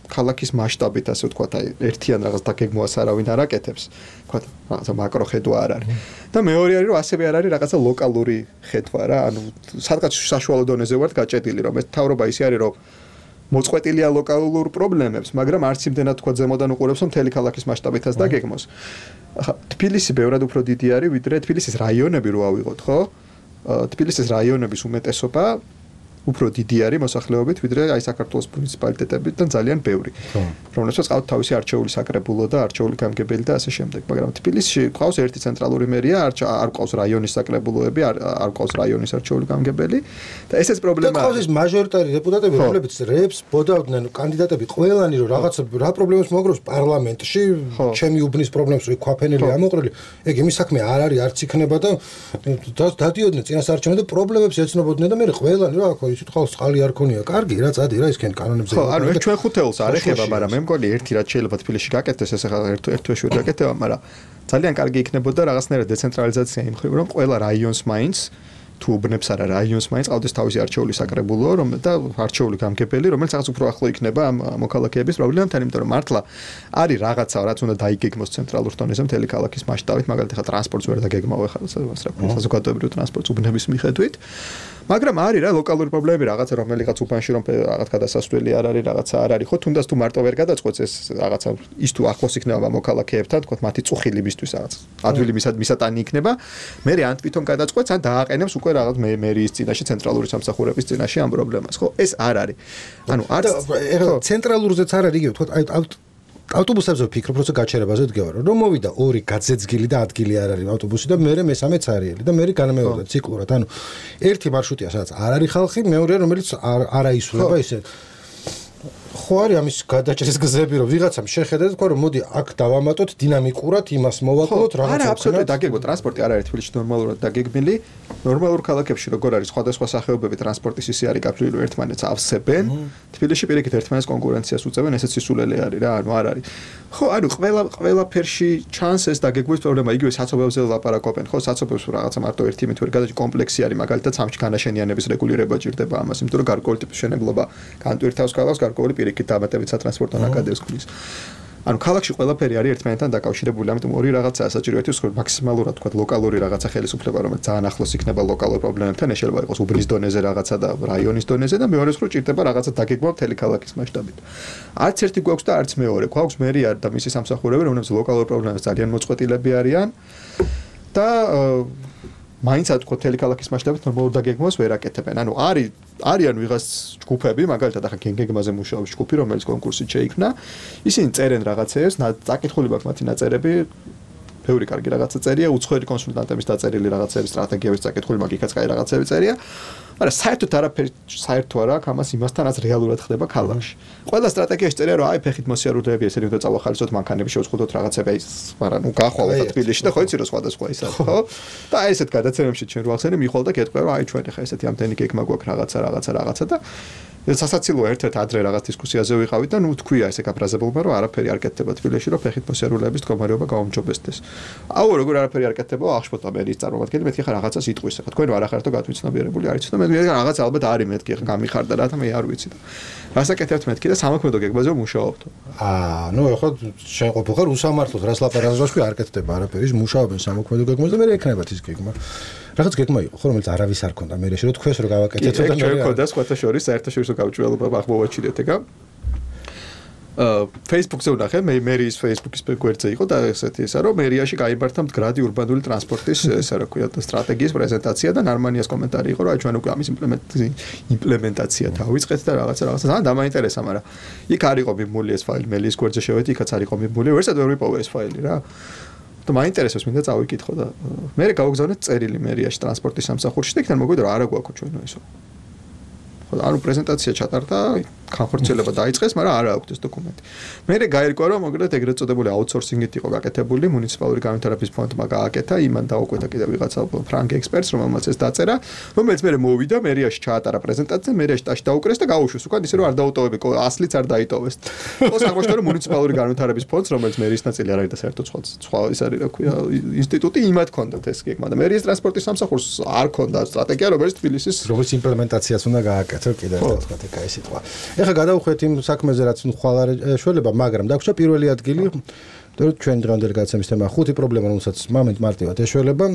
ქალაქის მასშტაბით ასე ვთქვათ აი ერთიან რაღაც დაგეგმვას არავინ არ აკეთებს ვთქვათ რაღაცა მაკრო ხედვა არ არის და მეორე არის რომ ასევე არ არის რაღაცა ლოკალური ხედვა რა ანუ სადღაც საშუალო დონეზე ვართ გაჭედილი რომ ეს თავრობა ისე არის რომ მოწყვეტილია ლოკალურ პრობლემებს მაგრამ არც იმდენად თქვა ზემოდან უყურებს რომ მთელი ქალაქის მასშტაბითაც დაგეგმოს ახლა თბილისი ბევრად უფრო დიდი არის ვიდრე თბილისის რაიონები რო ავიღოთ ხო თბილისის რაიონების უმეტესობა უფრო დიდი არის მოსახლეობით ვიდრე აი საქართველოს მუნიციპალიტეტებიდან ძალიან ბევრი. რომელსაც ყავთ თავისი არჩეული საკრებულო და არჩეული გამგებელი და ასე შემდეგ. მაგრამ თბილისში ყავს ერთი ცენტრალური მერია, არ არ ყავს რაიონის საკრებულოები, არ არ ყავს რაიონის არჩეული გამგებელი და ესეც პრობლემაა. და ყავს ის მაჟორიტარი დეპუტატები, რომლებიც რეებს ბოდავდნენ კანდიდატები ყველანი რომ რაღაც რა პრობლემებს მოგროვს პარლამენტში, ჩემი უბნის პრობლემებს რო ქვაფენელი ამოყრილი, ეგ იმის საქმე არ არის, არც იქნება და დადიოდნენ წინასაარჩევნო და პრობლემებს ეცნობოდნენ და მე ყველანი რა ხო ისეთ ხალხს წყალი არ ქონია. კარგი, რა წადი რა ისქენ კანონებზე. ხო, ანუ ეს ჩვენ ხუთეულს არ ეხება, მაგრამ მე მგონი ერთი რაც შეიძლება თბილისში გაკეთდეს, ეს ახლა ერთ ერთ თვეში ვერ გაკეთება, მაგრამ ძალიან კარგი იქნებოდა რაღაცნაირად დეცენტრალიზაცია იმ ხრივ, რომ ყველა რაიონს მაინც თუ უბნებს არა რაიონს მაინც ყავდეს თავისი არჩეული საკრებულო, რომ და არჩეული გამგებელი, რომელიც რაღაც უფრო ახლო იქნება ამ მოქალაქეების პრობლემებთან, იმიტომ რომ მართლა არის რაღაცა, რაც უნდა დაიგეგმოს ცენტრალურ დონეზე მთელი ქალაქის მასშტაბით, მაგალითად ახლა ტრანსპორტს ვერ დაგეგმავ ახლა საზოგადოებრივ ტრანსპორტს უბნების მიხედვით. მაგრამ არის რა ლოკალური პრობლემები რაღაცა რომელიღაც უბანში რომ რაღაც გადასასვლელი არ არის რაღაცა არ არის ხო თუნდაც თუ მარტო ვერ გადაწყვეტს ეს რაღაცა ის თუ ახლოს იქნება მოქალაქეებთან თქო მათი წუხილიბისთვის რაღაც ადვილი მისატანი იქნება მე ან თვითონ გადაწყვეტს ან დააყენებს უკვე რაღაც მერიის წინაშე ცენტრალური სამსახურების წინაშე ამ პრობლემას ხო ეს არ არის ანუ არც ცენტრალურზეც არ არის იგივე თქო აი ავტობუსებზე ვფიქრობ, როცა გაჩერებაზე ვდგევარ, რომ მოვიდა ორი გაძეძგილი და ადგილი არ არის ავტობუსი და მეორე მესამეც არიელი და მეორე განმეორდა ციკლურად. ანუ ერთი მარშრუტია, სადაც არ არის ხალხი, მეორეა, რომელიც არ აისულება ისე. ხო არის ამის გადაჭრის გზები, რომ ვიღაცამ შეხედა და თქვა, რომ მოდი აქ დავამატოთ დინამიკურად, იმას მოვაკლოთ, რაღაცა. არა, აბსოლუტურად დაგეგმო ტრანსპორტი არ არის თბილისში ნორმალურად დაგეგმილი. ნორმალურ ქალაქებში როგორ არის სხვადასხვა სახეობები ტრანსპორტის ისე არის გაფრთხილებული ერთმანეთს ავსებენ. თბილისში პირიქით ერთმანეთს კონკურენციას უწევენ, ესეც სისულელე არის რა, ანუ არ არის. ხო, ანუ ყველა ყველაფერში ჩანს ეს დაგეგმვის პრობლემა, იგივე საცობებზე ლაპარაკობენ, ხო, საცობებს რაღაცა მარტო ერთი იმით ვერ გადაჭი კომპლექსი არის, მაგალითად სამში განაშენიანების რეგულირება ჭირდება ამას, იმიტომ რომ გარკვეული ტიპის მშენებლობა განტვირთავს ქალაქს, გარკვეული პირიქით დამატებით სატრანსპორტო ნაკადებს ქმნის. ანუ ქალაქში ყველაფერი არის ერთმანეთთან დაკავშირებული, ამიტომ ორი რაღაცაა საჭირო, ერთი ვსწრებთ მაქსიმალურად თქვა ლოკალური რაღაცა ხელისუფლება, რომელიც ძალიან ახლოს იქნება ლოკალურ პრობლემებთან, ეს შეიძლება იყოს უბნის დონეზე რაღაცა და რაიონის დონეზე და მეორე ვსწრებთ ჭირდება რაღაცა დაგეგმვა მთელი ქალაქის მასშტაბით. არც ერთი გვაქვს და არც მეორე. გვაქვს მერია და მისი სამსახურები, რომლებიც ლოკალურ პრობლემებს ძალიან მოწყვეტილები არიან და მაინც ათქო მთელი ქალაქის მასშტაბით ნორმალურ დაგეგმვას ვერ აკეთებენ. ანუ არის არიან ვიღაც ჯგუფები, მაგალითად ახლა გენგეგმაზე მუშაობს ჯგუფი, რომელიც კონკურსით შეიქმნა. ისინი წერენ რაღაცეებს, წაკითხული მაქვს მათი ნაწერები, ბევრი კარგი რაღაცა წერია, უცხოელი კონსულტანტების დაწერილი რაღაცეების სტრატეგიების წაკითხული მაგიქაც კაი რაღაცები წერია. მაგრამ საერთოდ არაფერი საერთო არ აქვს ამას იმასთანაც რეალურად ხდება ქალაქში. ყველა სტრატეგიაში წერია რომ აი ფეხით მოსიარულეები ესენი უნდა წავახალისოთ მანქანები შევწყვეტოთ რაღაცები აი მაგრამ ნუ გახვალოთ თბილისში და ხო იცი რომ სხვადასხვა ისაა ხო და აი ესეთ გადაცემებში ჩვენ რო ახსენე მიხვალ და გეტყვი რომ აი ჩვენ ხა ესეთი ამდენი გეგმა გვაქვს რაღაცა რაღაცა რაღაცა და სასაცილოა ერთ-ერთ ადრე რაღაც დისკუსიაზე ვიყავით და ნუ თქვია ესე გაფრაზებულმა რომ არაფერი არ კეთდება თბილისში რომ ფეხით მოსიარულეების მდგომარეობა გაუმჯობესდეს. აუ როგორ არაფერი არ კეთდება აღშფოთა მერის წარმომადგენელი მეთქი ხა რაღაცას იტყვის ხა თქვენ რა არახართო გათვითცნობიერებული არიცით და მე რაღაც ალბათ არის მეთქი ხა გამიხარდა რა და მე არ ვიცი და რასაკეთებთ მეთქი და სამოქმედო გეგმაზე მუშაობთ. აა ნუ ეხლა შენ ყოფილიყარ უსამართლოდ რას ლაპარაკობს არ კეთდება არაფერი მუშაობენ სამოქმედო გეგმაზე და მე ექნებათ ის გეგმა. რაღაც გეგმა იყო ხო რომელიც არავის არ ქონდა მე შეიძლება თქვენს რო გავაკეთეთ და ჩვენ ქონდა სხვათა შორის საერთაშორისო გავჭრილობა აღმოვაჩინეთ ეგა აა Facebook-ზე ვნახე მე მერის Facebook-ის გვერდზე იყო და ესეთი ისა რომ მერიაში გაიმართა მდგრადი ურბანული ტრანსპორტის ესა რა ქვია სტრატეგიის პრეზენტაცია და ნარმანიას კომენტარი იყო რომ აი ჩვენ უკვე ამის იმპლემენტაცია დავიწყეთ და რაღაცა რაღაცა ძალიან დამაინტერესა მაგრამ იქ არ იყო მიმული ეს ფაილი მელის გვერდზე შევედი იქაც არ იყო მიმული ვერსად ვერ ვიპოვე ეს ფაილი რა და მაინტერესებს მინდა წავიკითხო და მე გავგზავნეთ წერილი მერიაში ტრანსპორტის სამსახურში და იქიდან მოგვიდა რომ არა გვაქვს ჩვენო ისო ხო ანუ პრეზენტაცია ჩატარდა განხორციელება დაიწყეს მაგრამ არა აქვს ეს დოკუმენტი მე გაირკვა რომ მოკლედ ეგრეთ წოდებული აუთსორსინგით იყო გაკეთებული მუნიციპალური განვითარების ფონდმა გააკეთა იმან დაუკვეთა კიდევ ვიღაცა ფრანკ ექსპერტს რომელმაც ეს დაწერა რომელიც მე მოვიდა მერიაში ჩაატარა პრეზენტაცია მერიაში ტაში დაუკრეს და გაუშვეს უკან ისე რომ არ დაუტოვები ასლიც არ დაიტოვეს ხო აღმოჩნდა რომ მუნიციპალური განვითარების ფონდს რომელიც მერის ნაწილი არ არის და საერთოდ სხვა სხვა ის არის რა ქვია ინსტიტუტი იმათ ქონდათ ეს გეგმა და მერის ტრანსპორტის სამსახურს არ ქონდა სტრატეგია რომელიც თბილისის რომელიც იმპლემენტაციას უნდა გააკეთო კიდევ ერთხელ თქვა ეგ სიტყვა ეხლა გადავხვეთ იმ საქმეზე რაც ხვალ არ ეშველება მაგრამ დაგვჭა პირველი ადგილი და ჩვენ დღევანდელი გადაცემის თემა ხუთი პრობლემა რომელსაც მომენტ მარტივად ეშველება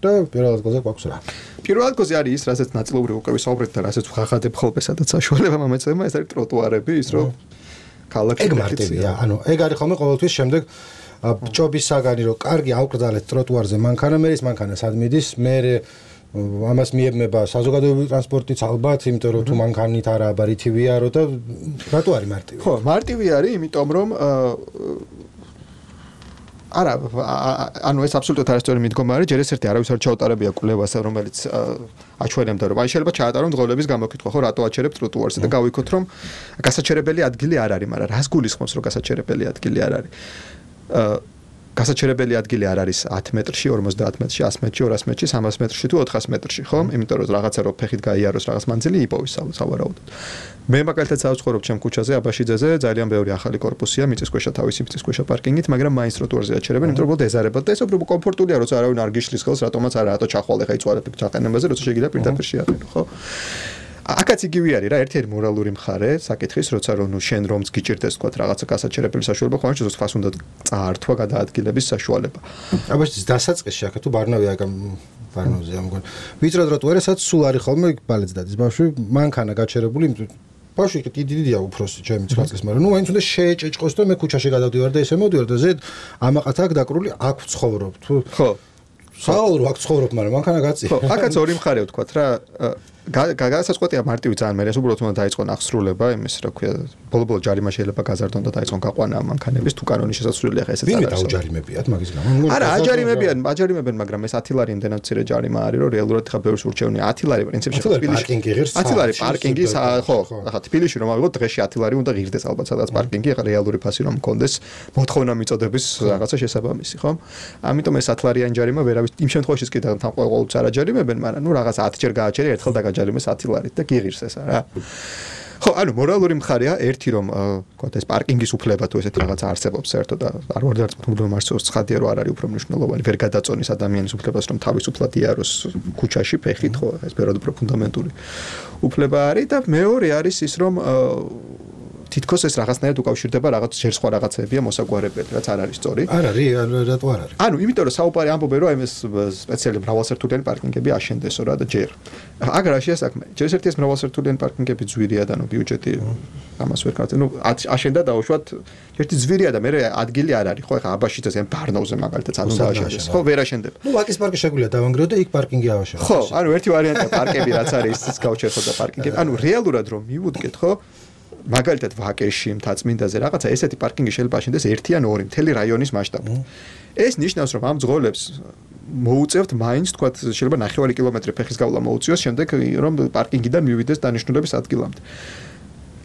და პირველ ადგილზე გვაქვს რა პირველ ადგილზე არის ის რასაც ნაწილობრივ უკვე ვისაუბრეთ და რასაც ვღახადებ ხოლმე სადაც საშუალება მომეწემა ეს არის ტროტუარები ის რომ ქალაქი ეგ მარტივია ანუ ეგ არის ხოლმე ყოველთვის შემდეგ ჭობის საგანი რომ კარგი ავკრძალეთ ტროტუარზე მანქანა მერის მანქანა სად მიდის მე ამას მიებმება საზოგადოებრივი ტრანსპორტიც ალბათ, იმიტომ რომ თუ მანქანით არა აბარითივია რო და რატო არის მარტივი? ხო, მარტივი არის, იმიტომ რომ არა, ანუ ეს აბსოლუტურად არასწორი მიდგომა არის, ჯერ ეს ერთი არავის არ ჩაუტარებია კვლევას, რომელიც აჩვენებდა რომ აი შეიძლება ჩაატარონ დღოლების გამოკითხვა, ხო, რატო აჩერებ ტროტუარზე და გავიქოთ რომ გასაჩერებელი ადგილი არ არის, მაგრამ რას გულისხმობს რომ გასაჩერებელი ადგილი არ არის? გასაჩერებელი ადგილი არ არის ათი მეტრში, ორმოცდაათ მეტრში, ასი მეტრში, ორასი მეტრში, სამას მეტრში თუ ოთხასი მეტრში, ხო? იმიტომ რომ რაღაცა რო ფეხით გაიაროს რაღაც მანძილი იპოვის სავარაუდოდ. მე მაგალითად საცხოვრობ ჩემ ქუჩაზე, აბაშიძეზე, ძალიან ბევრი ახალი корпуსია, მიწისქვეშა თავისი მიწისქვეშა პარკინგით, მაგრამ მაინც ტროტუარზე აჩერებენ, იმიტომ რომ დეზარებად და ეს უფრო კომფორტულია, როცა არავინ არ გიშლის ხელს, რატომაც არა, რატო ჩახვალე ხა იწვალებ ჩაყენებაზე, როცა შეგიძლია პირდაპირ შეაყენო, ხო? აკაც იგივე არის რა, ერთ-ერთი მორალური მხარე საკითხის, როცა რომ ნუ შენ რომც გიჭირდეს თქვა რაღაცა გასაჩერებელი საშუალება, ხო, შეიძლება სხვას უნდა წაართვა გადაადგილების საშუალება. აბაშიძის დასაწყისში აქ თუ ბარნავი აქ ბარნავზე ამგონ. ვიწრო ტროტუარესაც სულ არის ხოლმე ბალეც დადის ბავშვი, მანქანა გაჩერებული, ბავშვი კი დიდია უფროსი ჩემი ცხრა წლის, მაგრამ ნუ მაინც უნდა შეეჭეჭყოს და მე ქუჩაში გადავდივარ და ესე მოვდივარ და ზედ ამაყაც აქ დაკრული აქ ვცხოვრობ თუ ხო საალრო აქ ცხოვრობ, მაგრამ მანქანა გაწი. ხო, აქაც ორი მხარეა ვთქვა რა გასაწყვეტია მარტივი ძალიან მე ეს უბრალოდ უნდა დაიწყონ აღსრულება იმის რა ქვია ბოლო-ბოლო ჯარიმა შეიძლება გაზარდონ და დაიწყონ გაყვანა მანქანების თუ კანონის შესაძლებელი ახლა ესეც არის. ვინმე დაუჯარიმებიათ მაგის გამო? არა, აჯარიმებიან, აჯარიმებენ, მაგრამ ეს ათი ლარი იმდენად მცირე ჯარიმა არის, რომ რეალურად ხა ბევრს ურჩევნია. ათი ლარი პრინციპში თბილისში ათი ლარი პარკინგი, ხო, ახლა თბილისში რომ ავიღოთ დღეში ათი ლარი უნდა ღირდეს ალბათ სადაც პარკინგი, ახლა რეალური ფასი რომ მქონდეს, მოთხოვნა მიწოდების რაღაცა შესაბამისი, ხო? ამიტომ ეს ათი ლარიანი ჯარიმა ვერავის იმ შემთხვევაშიც კი თან ყოველთვის არ აჯარიმებენ, მაგრამ ნუ რაღაც ათი ჯერ გააჩერე, ერთხელ დაგაჯარიმეს ათი ლარით და გიღირს ესა რა. ხო, ანუ მორალური მხარეა ერთი რომ ვთქვათ ეს პარკინგის უფლება თუ ესეთ რაღაცა არსებობს საერთოდ და არ ვარ დარწმუნებული მარსოს ცხადია რომ არ არის უფრო მნიშვნელოვანი ვერ გადაწონის ადამიანის უფლებას რომ თავისუფლად იაროს ქუჩაში ფეხით ხო ეს ბევრად უფრო ფუნდამენტური უფლება არის და მეორე არის ის რომ თითქოს ეს რაღაცნაირად უკავშირდება რაღაც ჯერ სხვა რაღაცებია მოსაგვარებელი, რაც არ არის სწორი. არ არის, რატო არ არის? ანუ იმიტომ რომ საუბარი ამბობენ რომ ეს სპეციალური მრავალსართულიანი პარკინგები აშენდესო რა და ჯერ. აგ რაშია საქმე? ჯერ ერთი ეს მრავალსართულიანი პარკინგები ძვირია და ნუ ბიუჯეტი ამას ვერ ქართე. ნუ აშენდა დაუშვათ ერთი ძვირია და მე ადგილი არ არის ხო ეხა აბაშიძეს ან ბარნოვზე მაგალითად ანუ დააშენდეს. ხო ვერ აშენდება. ნუ ვაკის პარკი შეგვიძლია დავანგრიო და იქ პარკინგი ავაშენო. ხო, ანუ ერთი ვარიანტია პარკები რაც არის ის გავჩერხოთ და პარკინგები. ანუ რეალურად რომ მივუდგეთ ხო მაგალითად ვაკეში მთაწმინდაზე რაღაცა ესეთი პარკინგი შეიძლება აშენდეს ერთი ან ორი მთელი რაიონის მასშტაბით. ეს ნიშნავს რომ ამ ძღოლებს მოუწევთ მაინც თქვა შეიძლება ნახევარი კილომეტრი ფეხის გავლა მოუწიოს შემდეგ რომ პარკინგიდან მივიდეს დანიშნულების ადგილამდე.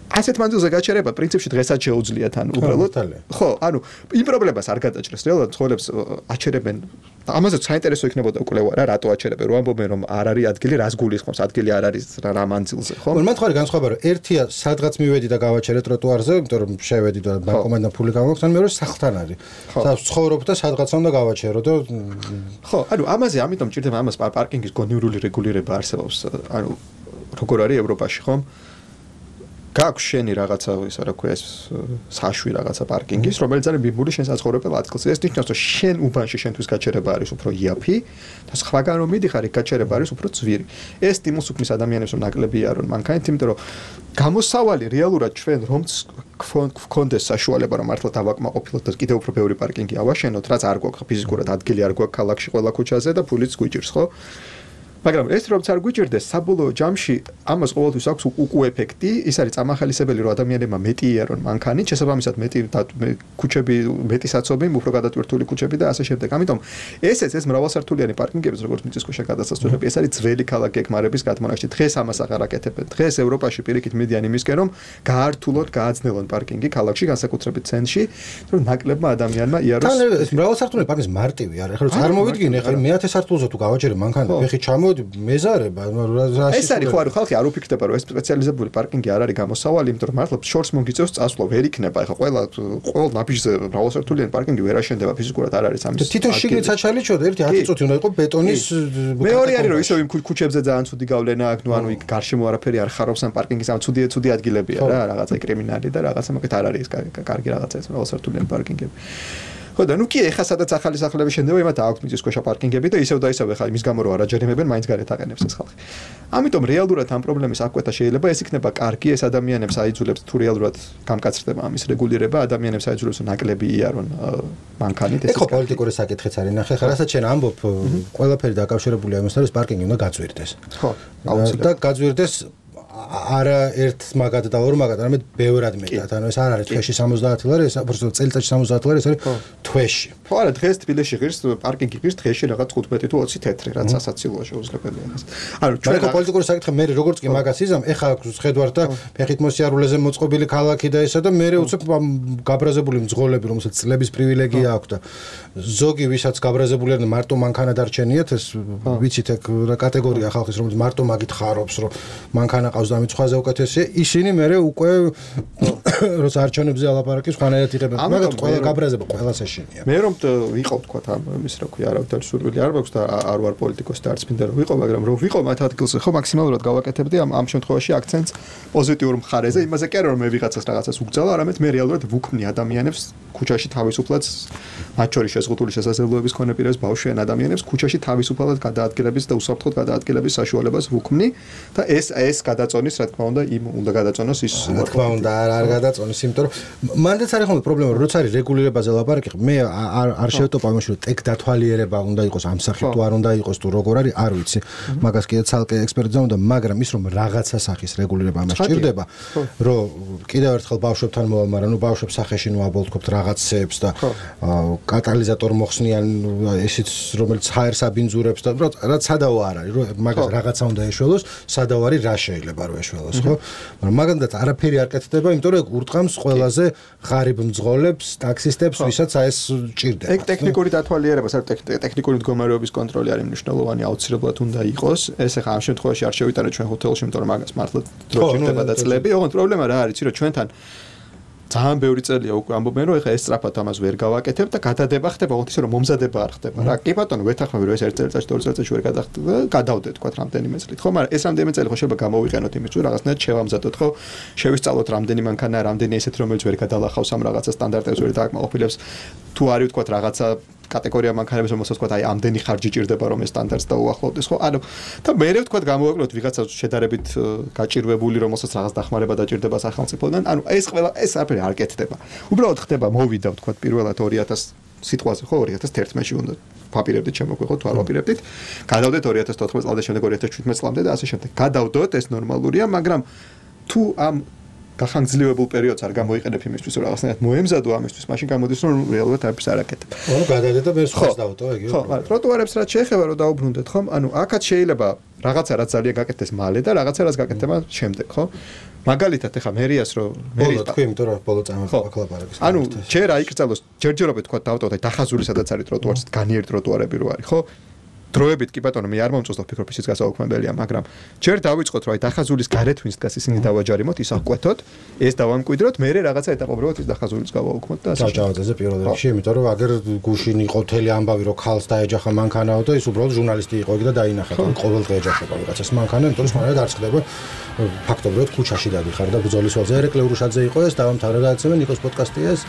ასეთ მანძილზე გაჩერება პრინციპში დღესაც შეუძლიათ ან უბრალოდ ხო ანუ იმ პრობლემას არ გადაჭრეს რეალურად ძღოლებს აჩერებენ ამაზე საინტერესო იქნებოდა კვლევა რა რატო აჩერებენ რომ ამბობენ რომ არ არის ადგილი რას გულისხმობს ადგილი არ არის რა მანძილზე ხო მართლა განსხვავება რომ ერთია სადღაც მივედი და გავაჩერე ტროტუარზე იმიტომ რომ შევედი და ბანკომატიდან ფული გავაქვს ან მეორე სახლთან არის სადაც ცხოვრობ და სადღაც უნდა გავაჩერო და ხო ანუ ამაზე ამიტომ ჭირდება ამას პარკინგის გონივრული რეგულირება არსებობს ანუ როგორ არის ევროპაში ხო გაქვს შენი რაღაცა ისა რა ქვია ეს საშვი რაღაცა პარკინგის რომელიც არის ბიბული შენ საცხოვრებელ ადგილს ეს ნიშნავს რომ შენ უბანში შენთვის გაჩერება არის უფრო იაფი და სხვაგან რომ მიდიხარ იქ გაჩერება არის უფრო ძვირი ეს სტიმულს უქმნის ადამიანებს რომ ნაკლები არონ მანქანით იმიტომ რომ გამოსავალი რეალურად ჩვენ რომც გქონდეს საშუალება რომ მართლა დავაკმაყოფილოთ და კიდევ უფრო ბევრი პარკინგი ავაშენოთ რაც არ გვაქვს ფიზიკურად ადგილი არ გვაქვს ქალაქში ყველა ქუჩაზე და ფულიც გვიჭირს ხო მაგრამ ეს რომ არ გვიჭირდეს საბოლოო ჯამში ამას ყოველთვის აქვს უკუ ეფექტი ის არის წამახალისებელი რომ ადამიანებმა მეტი იარონ მანქანით შესაბამისად მეტი ქუჩები მეტი საცობი უფრო გადატვირთული ქუჩები და ასე შემდეგ ამიტომ ესეც ეს მრავალსართულიანი პარკინგები როგორც მიწისქვეშა გადასასვლელები ეს არის ძველი ქალაქი ეკმარების გადმონაშთი დღეს ამას აღარ აკეთებენ დღეს ევროპაში პირიქით მიდიან იმისკენ რომ გაართულოთ გააძნელონ პარკინგი ქალაქში განსაკუთრებით ცენტრში რომ ნაკლებმა ადამიანმა იაროს თან ეს მრავალსართულიანი პარკინგი მარტივი არის ხო წარმოვიდგინე ხა მეათე სართულზე თუ გავაჩერე მანქანა ფეხი ჩამო მეზარება ეს არის ხო არა ხალხი არ უფიქრდება რომ ეს სპეციალიზებული პარკინგი არ არის გამოსავალი იმიტომ რომ მართლა შორს მოგიწევს წასვლა ვერ იქნება ეხლა ყველა ყოველ ნაბიჯზე მრავალსართულიანი პარკინგი ვერ აშენდება ფიზიკურად არ არის ამის თვითონ შიგნით საჩალიჩოდ ერთი ათი წუთი უნდა იყოს ბეტონის მეორე არის რომ ისევ იმ ქუჩებზე ძალიან ცუდი გავლენა აქვს ნუ ანუ იქ გარშემო არაფერი არ ხარობს ამ პარკინგის ამ ცუდი ცუდი ადგილებია რა რაღაცა კრიმინალი და რაღაცა მაგით არ არის კარგი რაღაცა ეს მრავალსართულიანი პარკინგები ხო და ნუ კი ეხა სადაც ახალი სახლები შენდება იმათ აქვს მიწისქვეშა პარკინგები და ისევ და ისევ ეხა იმის გამო რომ არ აჯერიმებენ მაინც გარეთ აყენებს ეს ხალხი ამიტომ რეალურად ამ პრობლემის აღკვეთა შეიძლება ეს იქნება კარგი ეს ადამიანებს აიძულებს თუ რეალურად გამკაცრდება ამის რეგულირება ადამიანებს აიძულებს ნაკლები იარონ მანქანით ეს ხო პოლიტიკური საკითხიც არის ნახე ხა რასაც შენ ამბობ ყველაფერი დაკავშირებულია იმასთან რომ პარკინგი უნდა გაწვირდეს ხო და გაწვირდეს არა ერთ მაგად და ორ მაგად, არამედ ბევრად მეტად. ანუ ეს არ არის თვეში სამოცდაათი ლარი, ეს უბრალოდ წელიწადში სამოცდაათი ლარი, ეს არის თვეში. ხო, არა, დღეს თბილისში ღირს პარკინგი ღირს დღეში რაღაც თხუთმეტი თუ ოცი თეთრი, რაც სასაცილოა შეუძლებელია ხას. ანუ ჩვენ პოლიტიკური საკითხი მე როგორც კი მაგას იზამ, ეხა ხედვარ და ფეხით მოსიარულეზე მოწყობილი ქალაქი და ესა და მე უცებ გაბრაზებული მძღოლები, რომელსაც წლების პრივილეგია აქვს და ზოგი ვისაც გაბრაზებული არიან მარტო მანქანა დარჩენიათ, ეს ვიცით ეგ კატეგორია ხალხის, რომელიც მარტო მაგით ხარობს, რომ მანქანა ყავს და მიწხვაზე უკეთესია, ისინი მე უკვე როცა არჩევნებზე ალაპარაკის ხანერად იღებენ, მაგრამ ყველა გაბრაზება ყველას ეშინია. მე რომ ვიყავ თქვა ამ ის რა ქვია, არავითარი სურვილი არ მაქვს და არ ვარ პოლიტიკოსი და არც მინდა რომ ვიყო, მაგრამ რომ ვიყო მათ ადგილზე, ხო მაქსიმალურად გავაკეთებდი ამ ამ შემთხვევაში აქცენტს პოზიტიურ მხარეზე, იმაზე კი არა რომ მე ვიღაცას რაღაცას უგზავნო, არამედ მე რეალურად ვუქმნი ადამიანებს ქუჩაში თავისუფლად მათ შორის შეზღუდული შესაძლებლობების მქონე პირებს ბავშვიან ადამიანებს ქუჩაში თავისუფლად გადაადგილების და უსაფრთხოდ გადაადგილების საშუალებას ვუქმნი და ეს ეს გადაწონის რა თქმა უნდა იმ უნდა გადაწონოს ის რა თქმა უნდა არ არ გადაწონის იმიტომ რომ მანდაც არის ხოლმე პრობლემა რომ როცა არის რეგულირებაზე ლაპარაკი მე არ არ შევტოპავ იმაში რომ ტექ დათვალიერება უნდა იყოს ამ სახით თუ არ უნდა იყოს თუ როგორ არის არ ვიცი მაგას კიდე ცალკე ექსპერტიზა უნდა მაგრამ ის რომ რაღაცა სახის რეგულირება ამას ჭირდება რომ კიდევ ერთხელ ბავშვებთან მოვალ მაგრამ ნუ ბავშვებს სახეში ნუ აბოლტქობთ რაღაცებს და კატალიზატორ მოხსნიან ესიც რომელიც ჰაერს აბინძურებს და რაც სადაო არ არის რომ მაგას რაღაცა უნდა ეშველოს სადაო არის რა შეიძლება რომ ეშველოს ხო მაგრამ მაგანდაც არაფერი არ კეთდება იმიტომ რომ ურტყამს ყველაზე ღარიბ მძღოლებს ტაქსისტებს ვისაც აი ეს ჭირდება ეგ ტექნიკური დათვალიერება საერთოდ ტექნიკური მდგომარეობის კონტროლი არის მნიშვნელოვანი აუცილებლად უნდა იყოს ეს ახლა ამ შემთხვევაში არ შევიტანოთ ჩვენ ჰოთელში იმიტომ რომ მაგას მართლა დრო ჭირდება და წლები ოღონდ პრობლემა რა არის იცი რომ ჩვენთან ძალიან ბევრი წელია უკვე ამბობენ რომ ეხა ეს სწრაფად ამას ვერ გავაკეთებ და გადადება ხდება ოღონდ ისე რომ მომზადება არ ხდება რა კი ბატონო ვეთანხმები რომ ეს ერთ წელიწადში ორ წელიწადში ვერ გადახდება გადავდეთ თქვა რამდენიმე წლით ხო მაგრამ ეს რამდენიმე წელი ხო შეიძლება გამოვიყენოთ იმის თუ რაღაცნაირად შევამზადოთ ხო შევისწავლოთ რამდენი მანქანა რამდენი ესეთი რომელიც ვერ გადალახავს ამ რაღაცა სტანდარტებს ვერ დააკმაყოფილებს თუ არის თქვა რაღაცა კატეგორია მანქანების რომელსაც თქვა აი ამდენი ხარჯი ჭირდება რომ ეს სტანდარტს დაუახლოვდეს ხო ანუ და მე ვთქვა გამოვაკლოთ ვიღაცა შედარებით გაჭირვებული რომელსაც რაღაც დახმარება დაჭირდება სახელმწიფოდან ანუ ეს ყველა ეს არაფერი არ კეთდება უბრალოდ ხდება მოვიდა ვთქვა პირველად ორი ათას სიტყვაზე ხო ორი ათას თერთმეტში უნდა ვაპირებდით შემოგვიყო თუ არ ვაპირებდით გადავდეთ ორი ათას თოთხმეტ წლამდე შემდეგ ორი ათას შვიდმეტ წლამდე და ასე შემდეგ გადავდოთ ეს ნორმალურია მაგრამ თუ ამ გახანგრძლივებულ პერიოდს არ გამოიყენებ იმისთვის რომ რაღაცნაირად მოემზადო ამისთვის მაშინ გამოდის რომ რეალურად არაფერს არ აკეთებ. ანუ გადადეთ და მე სხვას დავტო ეგ. ხო, ტროტუარებს რაც შეეხება რომ დაუბრუნდეთ ხომ? ანუ აქაც შეიძლება რაღაცა რაც ძალიან გაკეთდეს მალე და რაღაცა რაც გაკეთდება შემდეგ, ხო? მაგალითად ეხა მერიას რომ მერი თქვი იმიტომ რომ ბოლო წამოხდა კლაპარაკის. ანუ ჯერ აიკრძალოს ჯერჯერობით თქვა დავტო და დახაზული სადაც არის ტროტუარს განიერ ტროტუარები რო არის, ხო? დროებით კი ბატონო მე არ მომწონს ვფიქრობ ისიც გასაუქმებელია მაგრამ ჯერ დავიწყოთ რომ აი დახაზულის გარეთ ვინც დგას ისინი დავაჯარიმოთ ის აღკვეთოთ ეს დავამკვიდროთ მე რაღაცა ეტაპობრივად ის დახაზულის გავაუქმოთ და ასე დაჭავაზე პირველ რიგში იმიტომ რომ აგერ გუშინ იყო თელი ამბავი რომ ქალს დაეჯახა მანქანაო და ის უბრალოდ ჟურნალისტი იყო და დაინახა და ყოველდღე ეჯახება ვიღაცას მანქანა იმიტომ რომ სხვანაირად არ ხდება ფაქტობრივად ქუჩაში დადიხარ და ბრძოლის ვალზე ერეკლე ურუშაძე იყო ეს დავამთავრე გადაცემა ნიკოს პოდკასტია ეს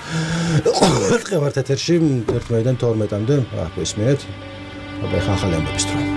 ყოველდღე ვართ ეთერში ერთმეიდან თორმეტამდე აჰ ისმენთ აბა ხახალემების დრო